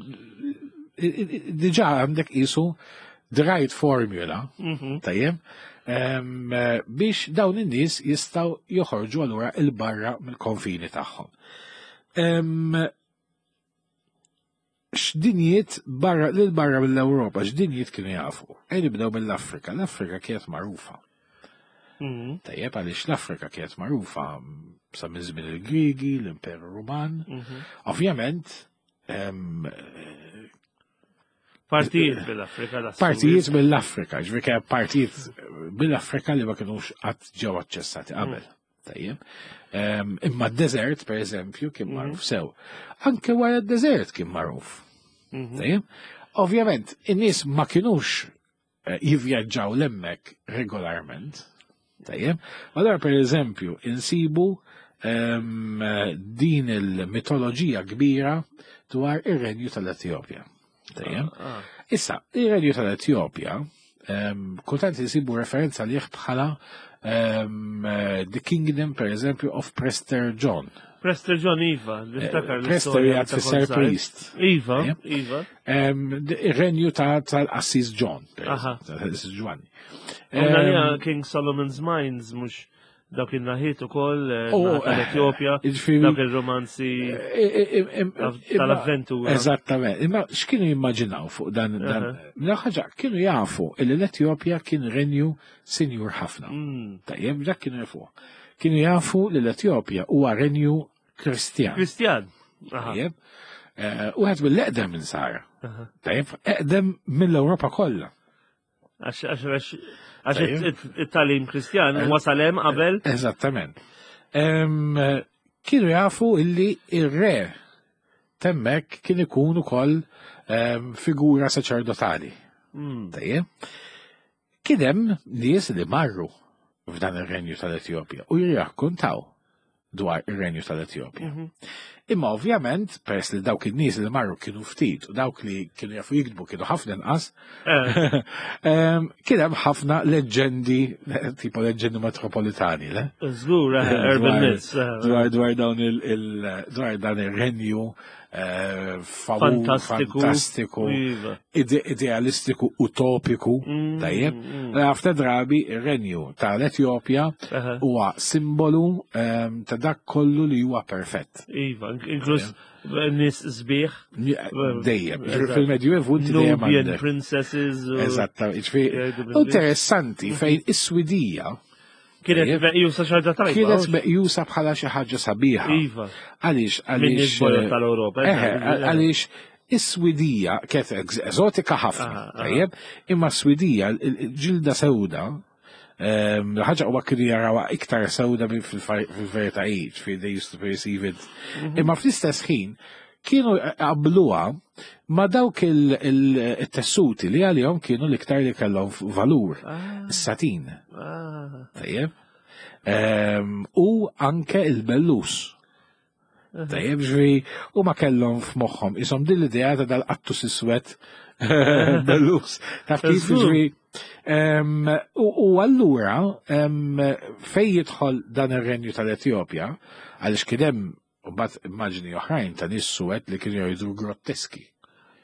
diġà għandek qisu the right formula, Mhm. tajjeb, em, biex dawn in-nies jistgħu joħorġu allura 'il barra mill-konfini tagħhom. Em, X'dinjiet barra lil barra mill-Ewropa, x'dinjiet kienu jafu? Ejja nibdew mill-Afrika. L-Afrika kienet magħrufa. Mhm. Tajjeb, għaliex l-Afrika kienet magħrufa sa minn żmien il-Grigi, l-Imperu Ruman. Mhm. Ovvjament, em, Partijiet bil-Afrika. da partijiet mill-Afrika, ġifieri kien partijiet mill-Afrika li ma kinux qatt ġew aċċessati qabel. Tajjeb. Em, Imma d-desert, per eżempju, kien magħruf sew. Anke wara d-desert kien magħruf. Mhm. Tajjeb. Ovvjament, in-nies ma kinux eh, jivvjaġġaw 'l hemmhekk regolarment. Tajjeb. Allora, per eżempju, insibu em, din il-mitoloġija kbira dwar ir-renju tal-Etjopja. Tajjeb. Ah, Issa, ir-renju tal-Etjopja, um, kultant insibu referenza liħ bħala um, eh, the kingdom, per eżempju, of Prester John. Prester John Iva, niftakar Eh, Prester l-istorja jgħad ta' fisser kont żgħir. priest. Iva, Yep. Iva. Um, ir-renju ta' tal-Assis John, per Aha. eżempju, tal-Assis Giovanni. Għamna Em, li King Solomon's Mines, mux dawk il-naħiet ukoll, eh, Oh, naħa tal-Etjopja, jiġifieri- dawk il-romanzi eh, eh, eh, tal-avventura. Eżattament. Imma x'kienu jimmaġinaw fuq dan dan Aha. Mela ħaġa kienu jafu li l-Etjopja kien renju sinjur ħafna. Mm. Tajjeb, dak kienu jafu. Kienu jafu li l-Etjopja huwa renju Kristjan. Kristjan. Aha. Tajjeb. Eh, Wieħed mill-eqdem minn sara. Aha. Tajjeb, eqdem mill-Ewropa kollha. Għax għax għax għax Tajjeb. it- it-tagħlim Kristjan wasal hemm qabel. Eżattament. Em, Kienu jafu illi ir-re t'hemmhekk kien ikun ukoll em, figura saċerdotali. Mm. Tajjeb. Kien hemm nies li marru f'dan ir-renju tal-Etjopja u jirrakkontaw dwar ir-renju tal-Etjopja. Mhm. Imma ovvjament, peress li dawk in-nies li marru kienu ftit u dawk li kienu jafu jiktbu kienu ħafna inqas, Eh, em, kien hemm ħafna leġġendi, tipo leġġendi metropolitani, le? Żgur, eh, urban Dwar- myths. eh, Dwar dwar dawn il, il dwar dan ir-renju eh, famu- Fantastiku. fantastiku, Iva. ide idealistiku, utopiku, Mm, tajjeb. mm. Ħafna drabi ir-renju tal-Etjopja Aha. huwa simbolu em, ta' dak kollu li huwa perfett. Iva, inkluż nies sbieħ. Dejjem, Eżatt. fil-Medjuevu inti dejjem Nubian għandek. princesses. u- Eżatta, ġifieri, Jgħidu bil-Ingliż. interessanti fejn is-Swidija Kienet Tajjeb. meqjusa xi ħaġa tajba. kienet meqjusa bħala xi ħaġa sabiħa. Iva. Għaliex, Minn għaliex. nies bojod tal-Ewropa. Eħe, għaliex is-Swidija kienet eż- eżotika ħafna, Aha, aha. tajjeb, imma s-Swidija, il-ġilda sewda, ehm, ħaġa huwa kienu jarawha iktar sewda minn fil-verità hi, ġifieri they used to perceive it. Mhm. Imma fl-istess ħin kienu qabluha ma dawk il-tessuti li għalihom kienu l-iktar li kellhom valur, Ah, is-satin, ah. tajjeb. Ehm, U anke il-bellus. Tajjeb, ġifieri, u ma kellhom f'moħħhom, isom din l-idea ta' dal-qattus iswed bellus. Taf kif Żgur. ġifieri. Em, U u allura, em, fej jidħol dan ir-renju tal-Etjopja, għaliex kien hemm u mbagħad immaġni oħrajn ta' nies suwed li kienu jgħidu grotteski.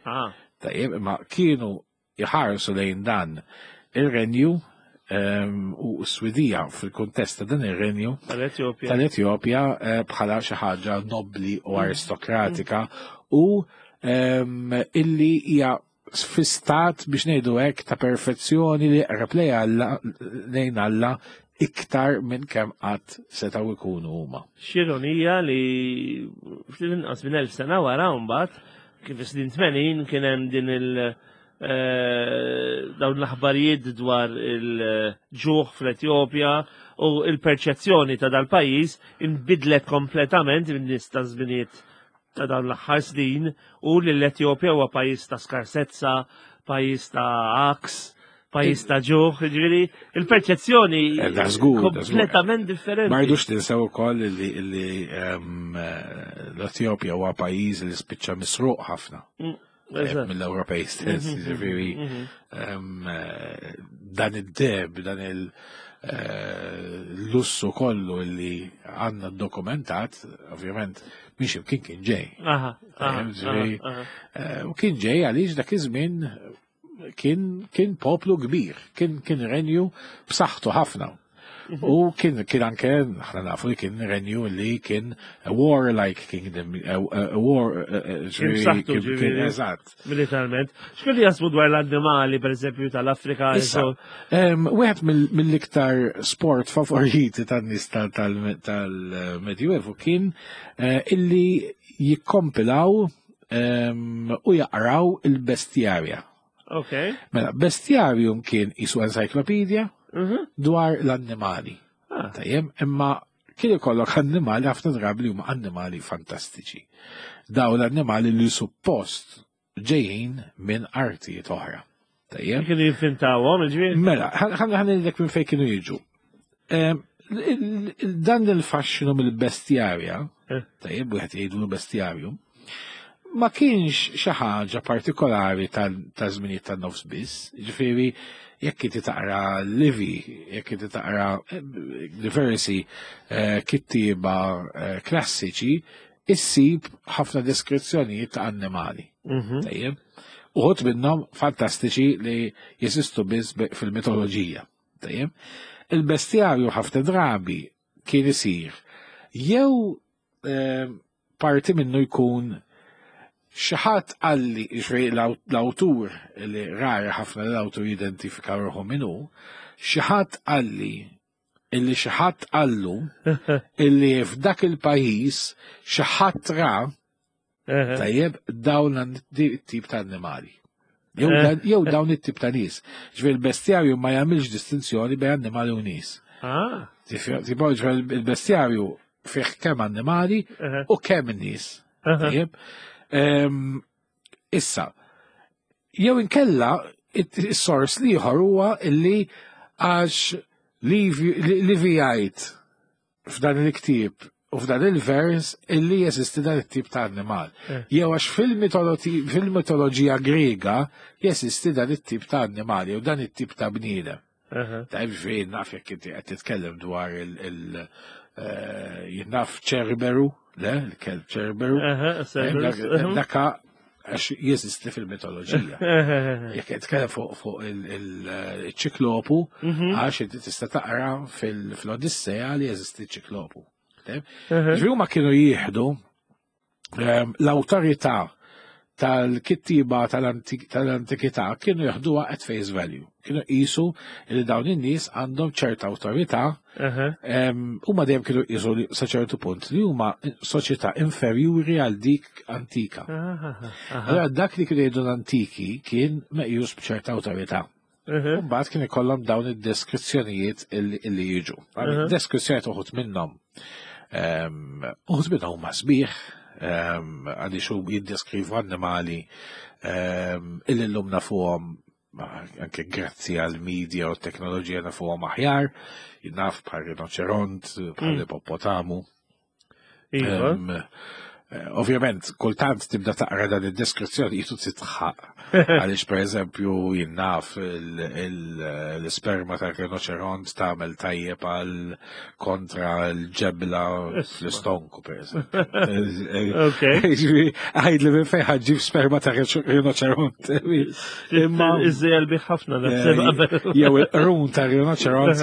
Ah. Tajjeb, imma kienu jħarsu lejn dan ir-renju em, u s-Swidija fil-kuntest ta' dan ir-renju Tal-Etjopja. tal-Etjopja eh, bħala xi ħaġa nobli u aristokratika u em, illi hija fi stat biex ngħidu hekk ta' perfezzjoni li qreb lejn Alla lejn Alla iktar minn kemm qatt setgħu jkunu huma. X'ironija li ftit inqas minn elf sena wara mbagħad kif is-snin tmenin kien hemm din il eh, dawn l-aħbarijiet dwar il-ġuħ fl-Etjopja u il-perċezzjoni ta' dal-pajjiż inbidlet kompletament minn nies ta' żminijiet ta' dawn l-aħħar snin u li l-Etjopja huwa pajjiż ta' skarsezza, pajjiż ta' għaks, pajjiż ta' ġuħ, ġifieri il-perċezzjoni Eh, da żgur, da żgur. kompletament differenti. Ma rridux tinsew ukoll li li, ehm, eh, l-Etjopja huwa pajjiż li spiċċa misruq ħafna Mm, eh, eżatt. mill-Ewropej stess, Mhm, ġifieri mhm. ehm, eh, dan id-deheb, dan il- eh, l-lussu kollu li għandna dokumentat, ovvjament, mhix imkien kien ġej. Aha, aha, Ġifieri, aha, aha. Eh, U kien ġej għaliex dak iż-żmien kien kien poplu kbir, kien kien renju b'saħħtu ħafna. U kien kien anke aħna nafu li kien renju li kien a warlike kingdom, a, a, a war eh, eh, ġifieri, b'saħħtu, kien- kien ġifieri. eżatt. Militarment. X'kienu jaħsbu dwar l-annimali, per eżempju, tal-Afrika? Issa, em, wieħed mill- mill-iktar sport favoriti tan-nies tal- tal- tal-Medjuevu kien eh, illi jikkompilaw em, u jaqraw il-bestjarja. Ok. Mela, bestjarium kien qisu encyclopedia Mhm. dwar l-annimali. Ah. Tajjem, imma kien ikollok annimali ħafna drabi li huma annimali fantastiċi. Daw l-annimali li suppost ġejjin minn artijiet oħra. Tajjem? Kienu jivvintawhom, ġifieri? Mela, ħa ngħidlek minn fejn kienu jiġu. Em, il- il- Dan il-fasċinu mill-bestjarja, Eh. tajjeb, wieħed jgħidu bestjarium, ma kienx xi ħaġa partikolari ta' żminijiet tan-nofs biss, ġifieri jekk inti taqra Livy, jekk inti taqra eh, diversi eh, kittieba eh, klassiċi, issib ħafna deskrizzjonijiet ta' annimali. Mhm. Tajjeb. Uħud minnhom fantastiċi li jeżistu biss be- fil-mitoloġija. Tajjeb. Il-bestjarju ħafna drabi kien isir jew eh, parti minnu jkun xi ħadd qalli, ġifieri l-awtur li rari ħafna l-awtur jidentifika ruħu minnu, xi ħadd qalli illi xi ħadd qallu illi f'dak il-pajjiż xi ħadd ra Eħe. tajjeb dawn it-tip ta' annimali. Jew Eh. dan- Jew dawn it-tip ta' nies. Ġifieri il-bestjarju ma jagħmilx distinzjoni bejn annimali u nies. Ah, Tipo ġifieri il-bestjarju fih kemm annimali eħe. u kemm nies. Eħe. Tajjeb. Ehm, Issa, jew inkella is-sors l-ieħor huwa illi għax Livy jgħid f'dan il-ktieb u f'dan il-vers illi jeżisti dan it-tip ta' annimal. Eh. Jew għax fil-mitologi- fil-mitoloġija Grega jeżisti dan it-tip ta' annimali u dan it-tip ta' bniedem. Eħe. Ta' ġifieri naf jekk inti qed titkellem dwar il- il- eh, jien naf Ċerberu, le, il-kelb Ċerberu. Eħe, Cerberus. Dak- Daka għax jeżisti fil-mitoloġija. Eħe. Jekk qed titkellem fuq fuq il-ċiklopu, Mhm. għax inti tista' taqra fil- fl-Odissea li jeżisti ċiklopu. Eħe. Ġifieri huma kienu jieħdu ehm, l-awtorità tal-kittiba tal-antik- tal-antikità kienu jeħduha at face value. Kienu qisu li dawn in-nies għandhom ċerta awtorità Eħe. Em, huma dejjem kienu qisu li sa ċertu punt li huma soċjetà inferjuri għal dik antika. Aha, aha. Allora dak li kienu jgħidu l-antiki kien meqjus b'ċerta awtorità. Eħe. Mbagħad kien ikollhom dawn id-deskrizzjonijiet illi illi jiġu. Mhm. Deskrizzjonijiet uħud minnhom em, uħud minnhom huma sbieħ, em, għaliex hu jiddeskrivu annimali em, illi llum nafuhom anke grazzi għal media u teknoloġija nafuhom aħjar, naf bħal rinoċeront, bħal Mm. ippopotamu. Iva. Em, eh, Ovvjament, kultant tibda taqra dan id-deskrizzjoni jitu titħaq. Għaliex per eżempju jien naf l-isperma ta' rinoċeront tagħmel tajjeb għal kontra l-ġebla fl-istonku per eżempju. Ok. Għajd li minn fejn ħa ġġib sperma ta' rinoċeront. Imma Iżżejjel bih ħafna naħseb qabel. jew il-qrun ta' rinoċeront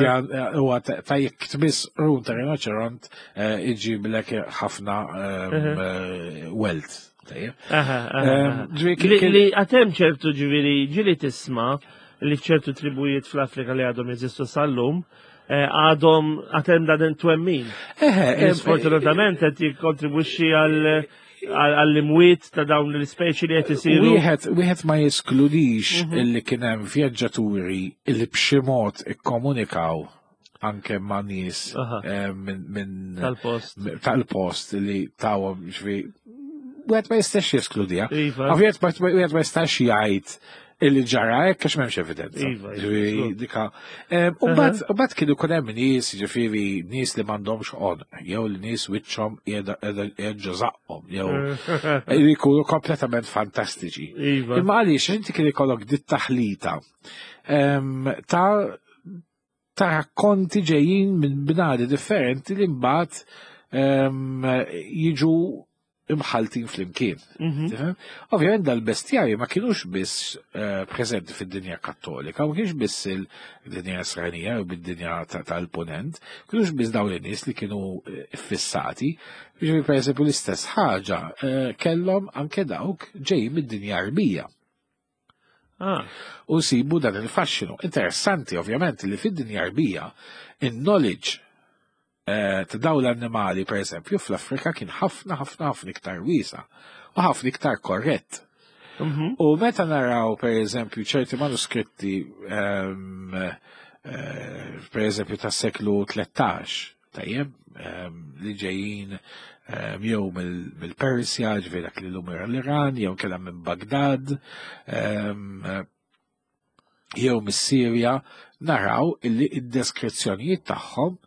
huwa ta' jekk tmiss qrun ta' rinoċeront eh, iġiblek ħafna ehm, eh, wealth. Tajjeb. Aha, aha, Ehm, aha. ġifieri Li kien- li għatem ċertu ġifieri ġili tisma li ċertu tribujiet fl-Afrika li għadhom jeżistu sal-lum, eh, għadhom għatem dan twemmin. Eħe, Sfortunatament qed jikkontribwixxi għal Għall-imwiet ta' dawn l-ispeċi li qed isiru. Wieħed wieħed ma jeskludix illi kien hemm vjaġġaturi illi b'xi mod ikkomunikaw anke ma' nies Aha. eh, minn minn Tal-post. tal-post li tawhom ġifieri wieħed ma jistax jeskludiha. Iva. Ovvjament ma- wieħed ma jistax jgħid illi ġara hekk għax m'hemmx evidenza. Iva, iva, Ġifieri żgur. dika. Em, U mbagħad u mbagħad kienu jkun hemm nies, ġifieri nies li m'għandhomx għonq, jew li nies wiċċhom qiegħda qiegħda ġo żaqqhom, jew li jkunu kompletament fantastiċi. Iva. Imma għaliex inti kien ikollok dit taħlita em, ta' ta' rakkonti ġejjin minn bnadi differenti li mbagħad em, jiġu imħaltin flimkien. Mhm. Tifhem? Ovvjament dal-bestjarji ma kienux biss eh, preżenti fid-dinja kattolika, ma kienx biss il-dinja Israelija u bid-dinja ta- tal-ponent, kienux biss dawn in-nies li kienu eh, fissati. Ġifieri per eżempju l-istess ħaġa eh, kellhom anke dawk ġejjin mid-dinja Arbija Ah, u sibu dan il-faxxinu. Interessanti, ovvjament, li fid-dinja Arbija, il-knowledge eh, ta' dawn l-annimali, per eżempju, fl-Afrika kien ħafna, ħafna, ħafna iktar wiesa u ħafna iktar korrett. mhm. U meta naraw, per eżempju, ċerti manuskritti, ehm, eh, per eżempju, tas seklu tlettax, tajjeb, ehm, li ġejjin ehm, jew mill- mill-Persja, ġifieri dak li l-lum l-Iran, jew kellha minn Bagdad, ehm, jew mis-Sirja, naraw illi id-deskrizzjonijiet tagħhom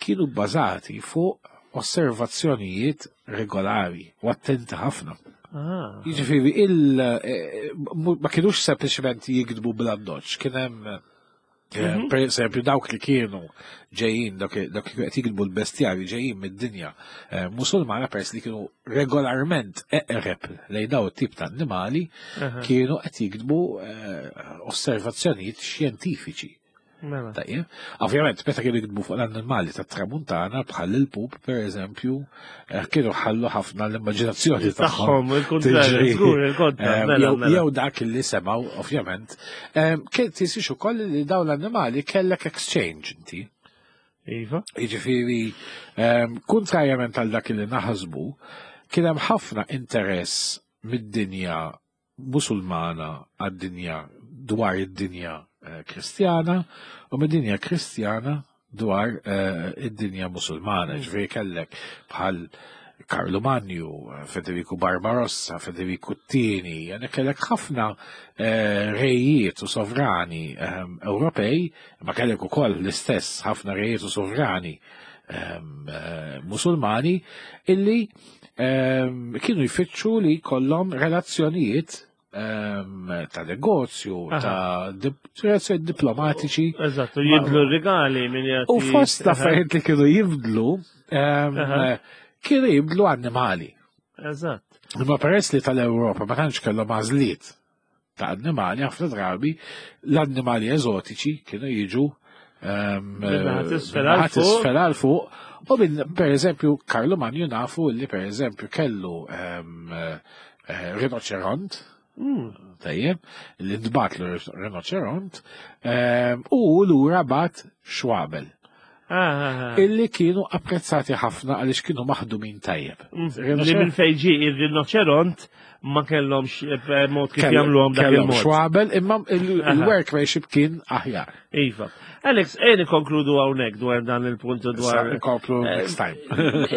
kienu bbażati fuq osservazzjonijiet regolari u attenti ħafna. Ah. Jiġifieri il eh, mu- ma kienux sempliċement jikdbu bl-addoċ, kien hemm eh, Mhm. per eżempju dawk li kienu ġejjin dawk dawk li qed jikdbu l-bestjarji ġejjin mid-dinja eh, musulmana peress li kienu regolarment eqreb lejn daw it-tip ta' annimali Aha. kienu qed jikdbu eh, osservazzjonijiet xjentifiċi. Mela. Tajjeb. Ovvjament, meta kienu jikdbu fuq l-annimali tat-tramuntana bħal il-pup, per eżempju, eh, kienu ħallu ħafna l-immaġinazzjoni tagħhom. Tagħhom, il-kontrarju, tiġri. żgur, il-kontra. Eh, Mela, Jew mela. jew dak li semgħu, ovvjament. Eh, Kien tisix ukoll li dawn l-annimali kellek exchange inti. Iva. Jiġifieri, ehm, kontrarjament għal dak li naħsbu, kien hemm ħafna interess mid-dinja musulmana għad-dinja dwar id-dinja eh, kristjana u mid-dinja kristjana dwar eh, id-dinja musulmana. Ġifieri kellek bħal Karlu Magnu, Federico Barbarossa, Federico Tini, jene kellek ħafna eh, rejiet u sovrani ehm, Ewropej, ma kellek ukoll l-istess ħafna rejiet u sovrani ehm, eh, musulmani illi ehm, kienu jfittxu li kollhom relazzjonijiet ehm, ta' negozju, Aha. ta' dip- relazzjonijiet diplomatiċi. Eżattu, jibdlu r-rigali minn jagħti. U fost l-affarijiet li kienu jibdlu, ehm, Aha. kienu jibdlu annimali. Eżatt. Imma peress li tal-Ewropa ma tantx kellhom għażliet ta' annimali, ħafna drabi l-annimali eżotiċi kienu jiġu ehm, Min-naħa t'isfel min-naħa għal fuq. t'isfel għal fuq. U minn, per eżempju, Karlu Manju nafu li per eżempju kellu ehm, eh, rinoċeront, Mm. tajjeb, li ntbatlu rinoċeront, ehm, u lura bat xwabel Ah, ah, ah. illi kienu apprezzati ħafna għaliex kienu maħdumin tajjeb. Mm. Li minn fejn ġie ir-rinoċeront ma kellhomx eh, mod kif jagħmluhom dak Kellhom il-mod. xwabel, imma il- Aha. il-workmanship kien aħjar. Iva. Alex, ejn ikonkludu hawnhekk dwar dan il-punt u dwar. Issa Inkomplu Eh, next time.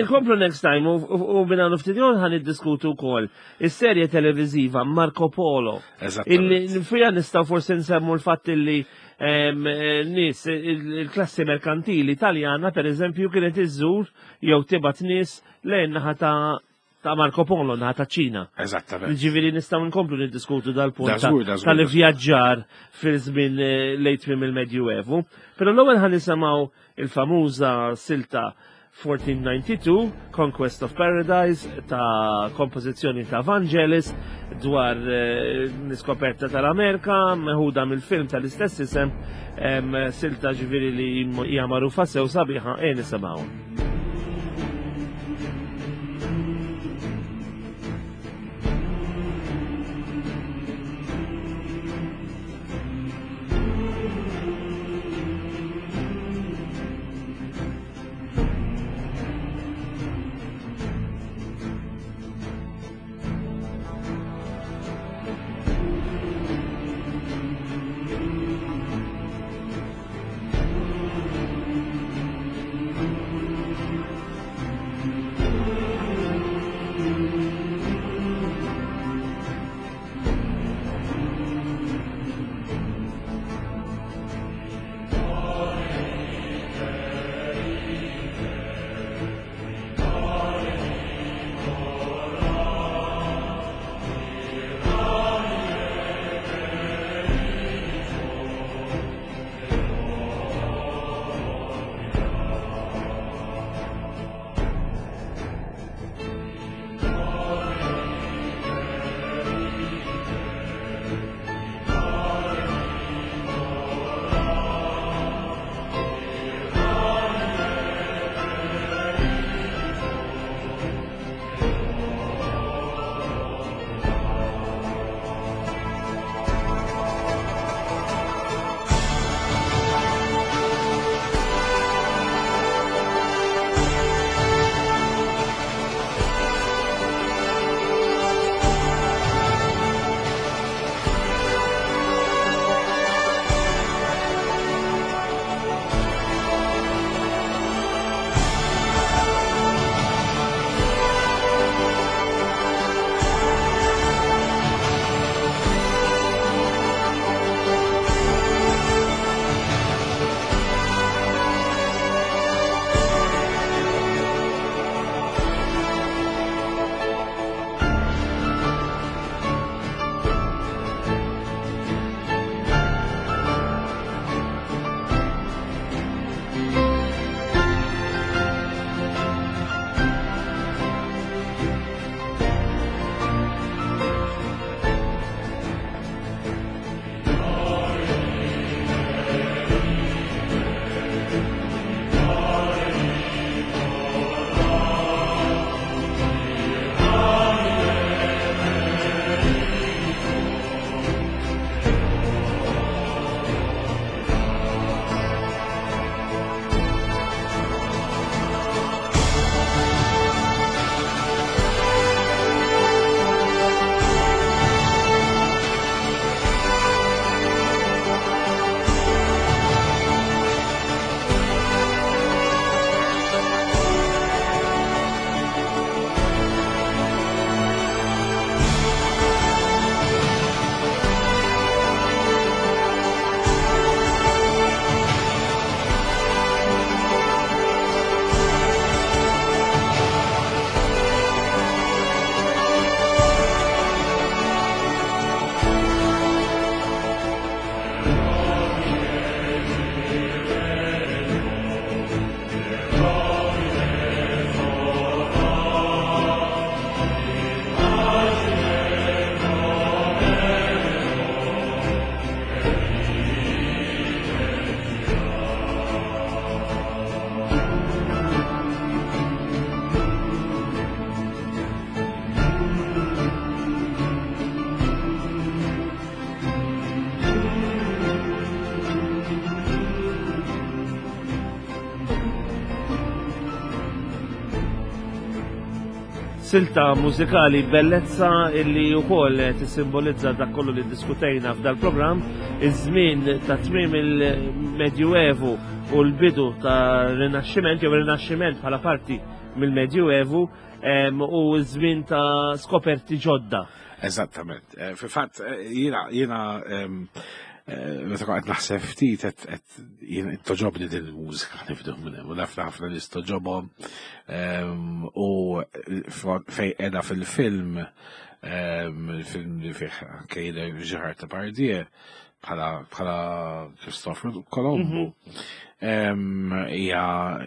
Inkomplu next time u- u u minn hawn ftit ieħor ħan niddiskutu wkoll is-serje televiżiva Marco Polo. Illi Eżattament. fija nistgħu forsi nsemmu l-fatt illi em, eh, nies il- il-klassi merkantili Taljana per eżempju kienet iżżur jew tibgħat nies lejn naħa ta' ta' Marco Polo, naħa ta' Ċina. Eżattament. Ġifieri nistgħu nkomplu niddiskutu dal-punt Da ta' żgur, da żgur, tal-ivvjaġġar fil-żmien eh, lejn tmiem il-Medjuevu. Però l-ewwel ħa nisimgħu il-famuża silta fourteen ninety-two, Conquest of Paradise, ta' kompożizzjoni ta' Vangelis dwar eh, l-iskoperta tal-Amerika, meħuda mill-film tal-istess isem, em, silta ġifieri li hija magħrufa sew sabiħa, e nisimgħu. Thank Silta mużikali bellezza illi wkoll tissimbolizza dak kollu li diskutejna f'dal programm, iż-żmien ta' tmiem il-Medjuevu u l-bidu ta' Rinaxximent jew Rinaxximent bħala parti mill-Medjuevu u ż-żmien ta' skoperti ġodda. Eżattament. Eh, fil-fatt eh, jiena jiena eh, meta qed naħseb ftit qed jien toġobni din il-mużika nifdu minn hemm u naf ħafna nies toġobhom u fej qiegħda fil-film, il-film li fih anke jidher Gerard Depardieu bħala bħala Cristoforo Colombo. Hija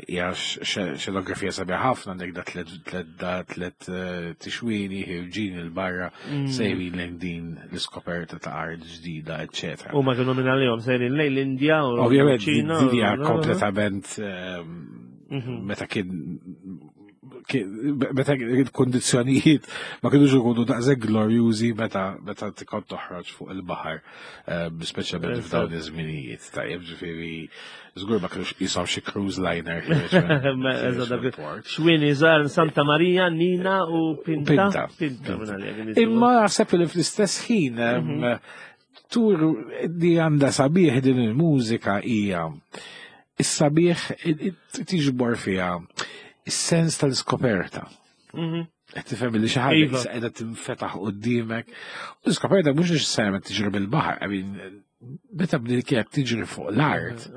hija xenografija sabiħa ħafna, għandek da tlet tlet da tlet eh, tixwini ħirġin il-barra mm. sejrin lejn din l-iskoperta ta' art ġdida, eċċetera. U ma kienu minn għalihom sejrin lejn l-Indja u Ovvjament din hija kompletament mhm. meta kien meta il-kondizjonijiet ma kienux ikunu daqshekk glorjużi meta meta tkun toħroġ fuq il-baħar, eh, speċjalment f'dawn iż-żminijiet. Tajjeb, ġifieri żgur ma kienux qishom xi cruise liner. Xwini żgħar Santa Maria, Nina u Pinta. Pinta. Imma naħseb li fl-istess ħin mhm. tur li għandha sabiħ din il-mużika hija is-sabiħ tiġbor fiha is-sens tal-iskoperta. Mhm. Qed tifhem li xi ħaġa iva. qiegħda tinfetaħ quddiemek. U l-iskoperta mhux neċessarjament tiġri bil-baħar, I mean, meta bdiet kienet tiġri fuq l-art,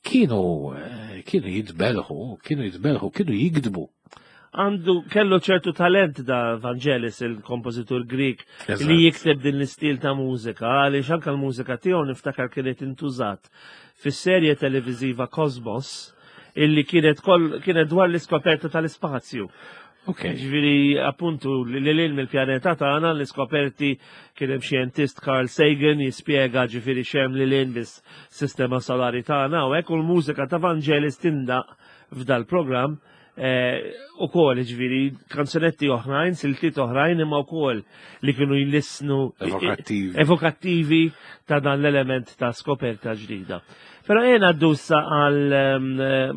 kienu kienu jitbelħu, kienu jitbelħu, kienu jikdbu. Għandu kellu ċertu talent da Vangelis, il-kompożitur Grik, li jikteb din l-istil ta' mużika, għaliex anke l-mużika tiegħu niftakar kienet intużat fis-serje televiżiva Cosmos, illi kienet kol kienet dwar l-iskoperta tal-ispazju. Ok. Ġifieri, appuntu, li lil mill-pjaneta tagħna l-iskoperti, kien hemm xjentist Carl Sagan jispjega ġifieri x'hemm lil hinn bis-sistema solari tagħna u hekk, u l-mużika ta' Vangelis tindaq f'dal programm eh, u kol ġifieri kanzunetti oħrajn, siltiet oħrajn, imma wkoll li kienu jlissnu Evokattivi. Evokattivi ta' dan l-element ta' skoperta ġdida. Però jena għaddu għal em,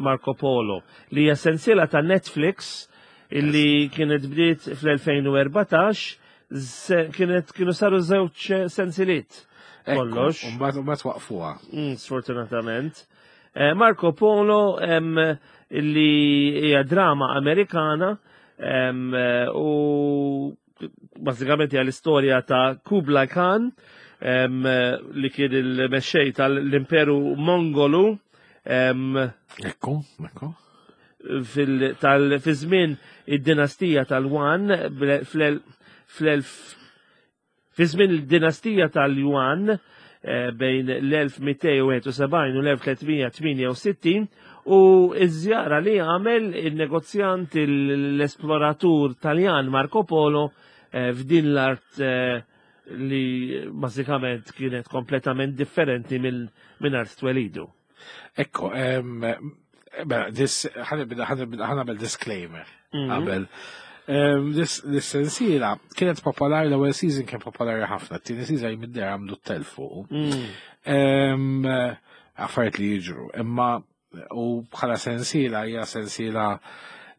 Marco Polo, li hija sensiela ta' Netflix illi kienet bdiet fl-elfejn u erbatax, se- kienet kienu saru żewġ sensiliet. Kollox. Mbagħad mbagħad waqfuha. Mm, sfortunatament. Eh, Marco Polo em, illi hija drama Amerikana em, eh, u bażikament hija l-istorja ta' Kublai Khan em, li kien il-mexxej tal-Imperu Mongolu em, Ekku, ekku. fil- tal- fi żmien id-dinastija tal-Wan fl- fl-elf fi żmien il-dinastija tal-Yuan eh, bejn l-elf mitejn u wieħed u sebgħin u l-elf tliet mija tmienja u sittin u iż-żjara li għamel il-negozjant, l-esploratur Taljan Marco Polo eh, f'din l-art eh, li bażikament kienet kompletament differenti minn minn art twelidu. Ekku, em, mela, dis, ħa nagħmel disclaimer Mhm. qabel. Em, Dis dis sensiela kienet popolari, l-ewwel season kien popolari ħafna, t-tieni season jmidder għamlu t-telf fuq. Mm. Em, Affarijiet li jiġru, imma u bħala sensiela hija sensiela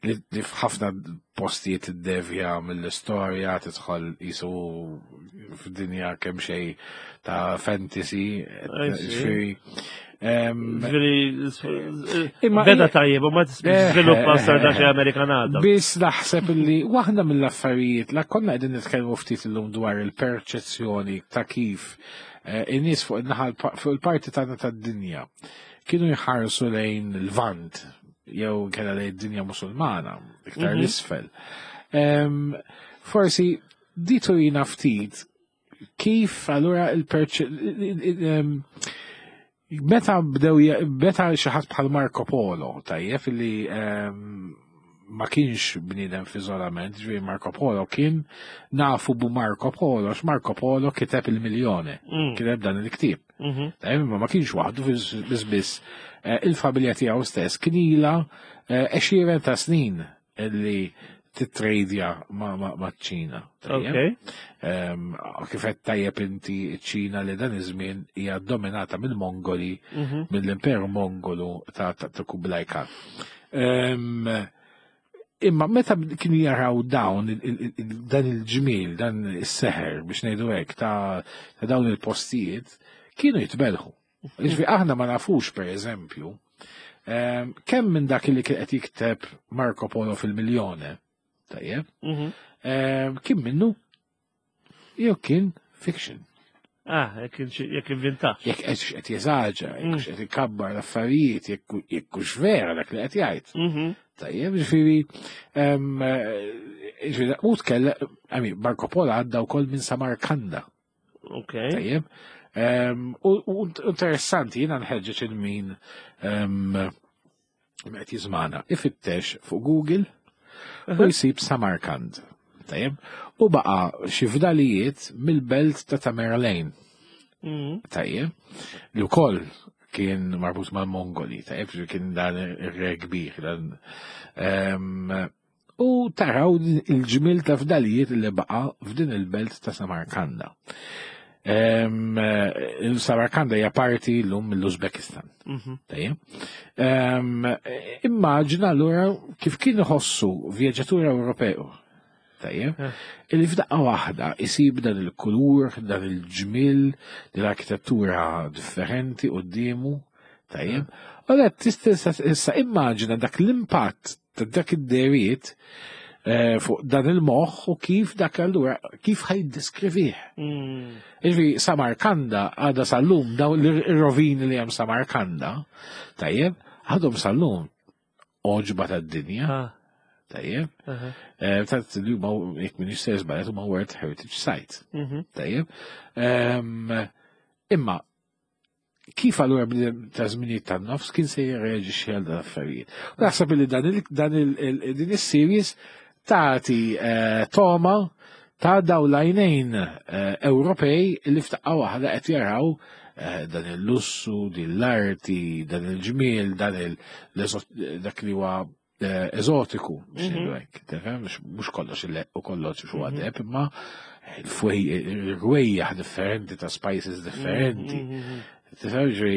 li li f'ħafna postijiet iddevja mill-istorja, tidħol jisu f'dinja kemm xejn ta' fantasy, I see. ġifieri, em, Ġifieri, Imma beda hija- tajjeb, u ma Eh, sviluppa sar eh, da xi eh. Amerikanata. Biss naħseb illi waħda mill-affarijiet la konna qegħdin nitkellmu ftit illum dwar il-perċezzjoni ta' kif eh, in-nies fuq in-naħa fuq il-parti tagħna tad-dinja kienu jħarsu lejn il-Lvant jew kella lejn id-dinja Musulmana iktar Mhm. l-isfel. Em, Forsi di turina ftit kif allura il-perċ meta bdew meta xi ħadd bħal Marco Polo, tajjeb, li em, ma kienx bniedem f'iżolament, ġifieri Marco Polo kien nafu bu Marco Polo, għax Marco Polo kiteb il-Miljone, Mm. kiteb dan il-ktieb. Mhm. Tajjeb, imma ma kienx waħdu, biss biss eh, il-familja tiegħu stess kien ilha eh, għexieren ta' snin li titrejdja ma' ma' ma' ċina. Tajjeb? Ok. Em, Kif qed tajjeb inti, ċina li dan iż-żmien hija dominata mill-Mongoli, Mhm. mill-Imperu Mongolu ta' ta' ta' Kublai Khan. Em, Imma meta kienu jaraw dawn dan il-ġmiel, dan is-seħer biex ngħidu hekk ta' dawn il-postijiet, kienu jitbelħu. Jiġifieri aħna ma nafux, per eżempju, kemm minn dak li kien qed jikteb Marco Polo fil-Milione, tajjeb, kien minnu jew kien fiction. Ah, jekk inventa. Jekk qed jeżaġera, jekk qed ikabbar l-affarijiet, jekk hux vera dak li qed jgħid. Tajjeb, ġifieri, ġifieri, u tkellem, I mean, Marco Polo għadda wkoll minn Samarkanda. Ok. Tajjeb. U interessanti, jiena nħeġġeġ lil min qed jiżmana, ifittex fuq Google u jsib Samarkand. Tajjeb. U baqa xi fdalijiet mill-belt ta' Tamerlane. Tajjeb. Li wkoll kien marbut mal-Mongoli, tajjeb, kien dan ir-re kbir. Dan, u taraw il-ġmil ta' fdalijiet li baqa f'din il-belt ta' Samarkanda. Samarkanda hija parti llum mill-Uzbekistan. Tajjeb. Immaġina allura kif kien iħossu vjaġġatur Ewropew. Tajjeb. Illi f'daqqa waħda isib dan il-kulur, dan il-ġmil, din l-arkitettura differenti quddiemu. Tajjeb. U għed tista' issa immaġina dak l-impatt ta' dak id-deriet fuq dan il-moħħ u kif dak allura kif ħa jiddeskrivih. Jiġifieri Samarkanda għadha sal-lum, daw ir-rovini li hemm Samarkanda, tajjeb, għadhom sal-lum għoġba tad-dinja. Tajjeb. Ta' li huma, jekk m'iniex se żbaljat, huma World Heritage Site. Tajjeb. Imma kif allura bniedem ta' żminijiet tan-nofs kien se jirreaġixxi għal dan affarijiet? U naħseb li dan din is-series tagħti toma ta' daw l-għajnejn Ewropej li f'daqqa waħda qed jaraw dan il-lussu, din l-arti, dan il-ġmiel, dan il dak li huwa eżotiku, biex ngħidu hekk, tifhem, mhux kollox u kollox huwa deheb, imma il-rwejjaħ differenti ta' spices differenti. Tifhem, ġej,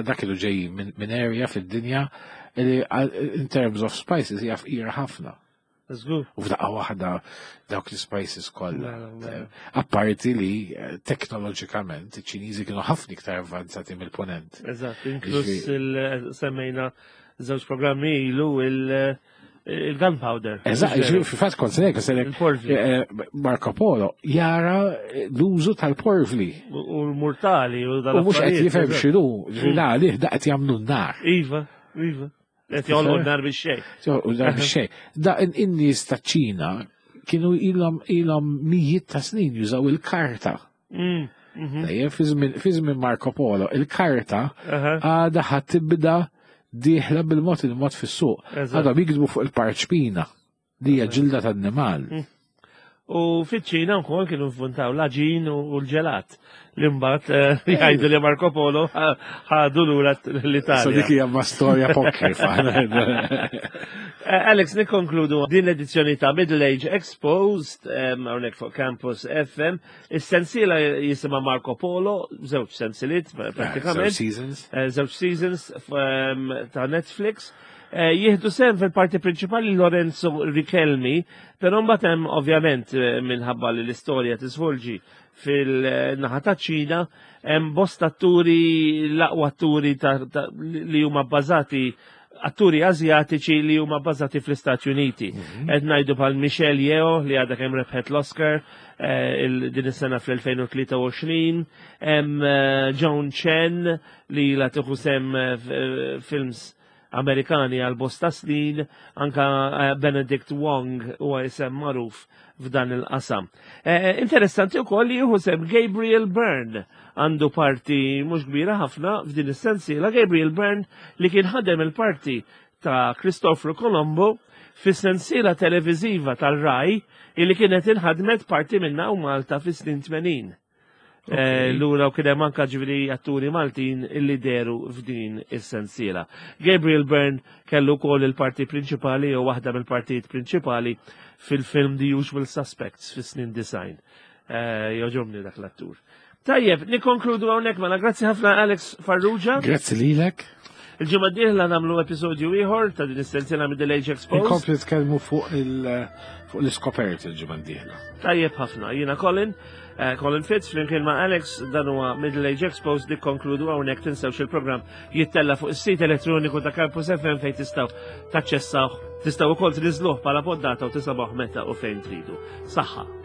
dak kienu ġej minn area fid-dinja li in terms of spices hija fqira ħafna. Żgur. U f'daqqa waħda dawk l-spices kollha. Apparti li teknoloġikament iċ-Ċiniżi kienu ħafna iktar avvanzati mill-ponent. Eżatt, inkluż semmejna żewġ programmi ilu il-gunpowder. Eżatt, fil-fatt kont se Il-porvli. Marco Polo jara l-użu tal-porvli. U l-murtali u U mhux qed jifhem x'inhu, ġifieri għalih da qed jagħmlu n-nar. Iva, iva. Qed jolqu n-nar bix-xejn. U n-nar bix-xejn. Da in-nies ta' Ċina kienu ilhom ilhom mijiet ta' snin jużaw il-karta. Tajjeb, fi żmien Marco Polo, il-karta għadha ħa tibda dieħla bil-mod il-mod fis-suq. Għadhom jiktbu fuq il-parċpina li hija ġilda tan-nimal. U fiċ-Ċina wkoll kienu nventaw l-aġin u l-ġelat. Li mbagħad jgħidu li Marco Polo ħadu lura l-Italja. So dik hija ma storja apokrifa. Alex, nikkonkludu din l-edizzjoni ta' Middle Age Exposed hawnhekk fuq Campus F M. Is-sensiela jisimha Marco Polo, żewġ sensiliet prattikament. Żewġ seasons. Żewġ seasons ta' Netflix. Jieħdu sehem fil-parti prinċipali Lorenzo Richelmi, però mbagħad hemm ovvjament minħabba li l-istorja tisvolġi fil-naħa ta' Ċina, hemm bosta atturi, l-aqwa atturi li huma bbażati, atturi azjatiċi li huma bbażati fl-Istati Uniti. Qed ngħidu bħal Michelle Yeoh li għadha kemm rebħet l-Oscar din is-sena fl-elfejn u tlieta u għoxrin, hemm Joan Chen li la tieħu sehem films Amerikani għal bosta snin, anka Benedict Wong huwa isem magħruf f'dan il-qasam. Interessanti wkoll li jieħu sehem Gabriel Byrne, għandu parti mhux kbira ħafna f'din is-sensiela. Gabriel Byrne li kien ħadem il-parti ta' Cristoforo Colombo fis-sensiela televiżiva tal-Rai illi kienet inħadmet parti minna u Malta fis-snin tmenin. Lura u kien hemm anka ġifieri atturi Maltin illi deru f'din is-sensiela. Gabriel Byrne kellu wkoll il-parti prinċipali jew waħda mill-partijiet prinċipali fil-film The Usual Suspects fis-snin disgħin. Jogħġobni dak l-attur. Tajjeb, nikkonkludu hawnhekk mela. Grazzi ħafna, Alex Farrugia. Grazzi lilek. Il-ġimgħa d-dieħla nagħmlu episodju ieħor ta' din is-sensiela Middle Age Exposed. Inkompli nitkellmu fuq il- fuq l-iskoperti il-ġimgħa d-dieħla. Tajjeb ħafna. Jiena Colin, eh, Colin Fitz, flimkien ma' Alex, dan huwa Middle Age Exposed nikkonkludu hawnhekk. Tinsewx, il-programm jittella fuq is-sit elettroniku ta' Campus F M fejn tistgħu taċċessawh, tistgħu wkoll tniżluh bħala poddata u tisimgħuh meta u fejn tridu. Saħħa.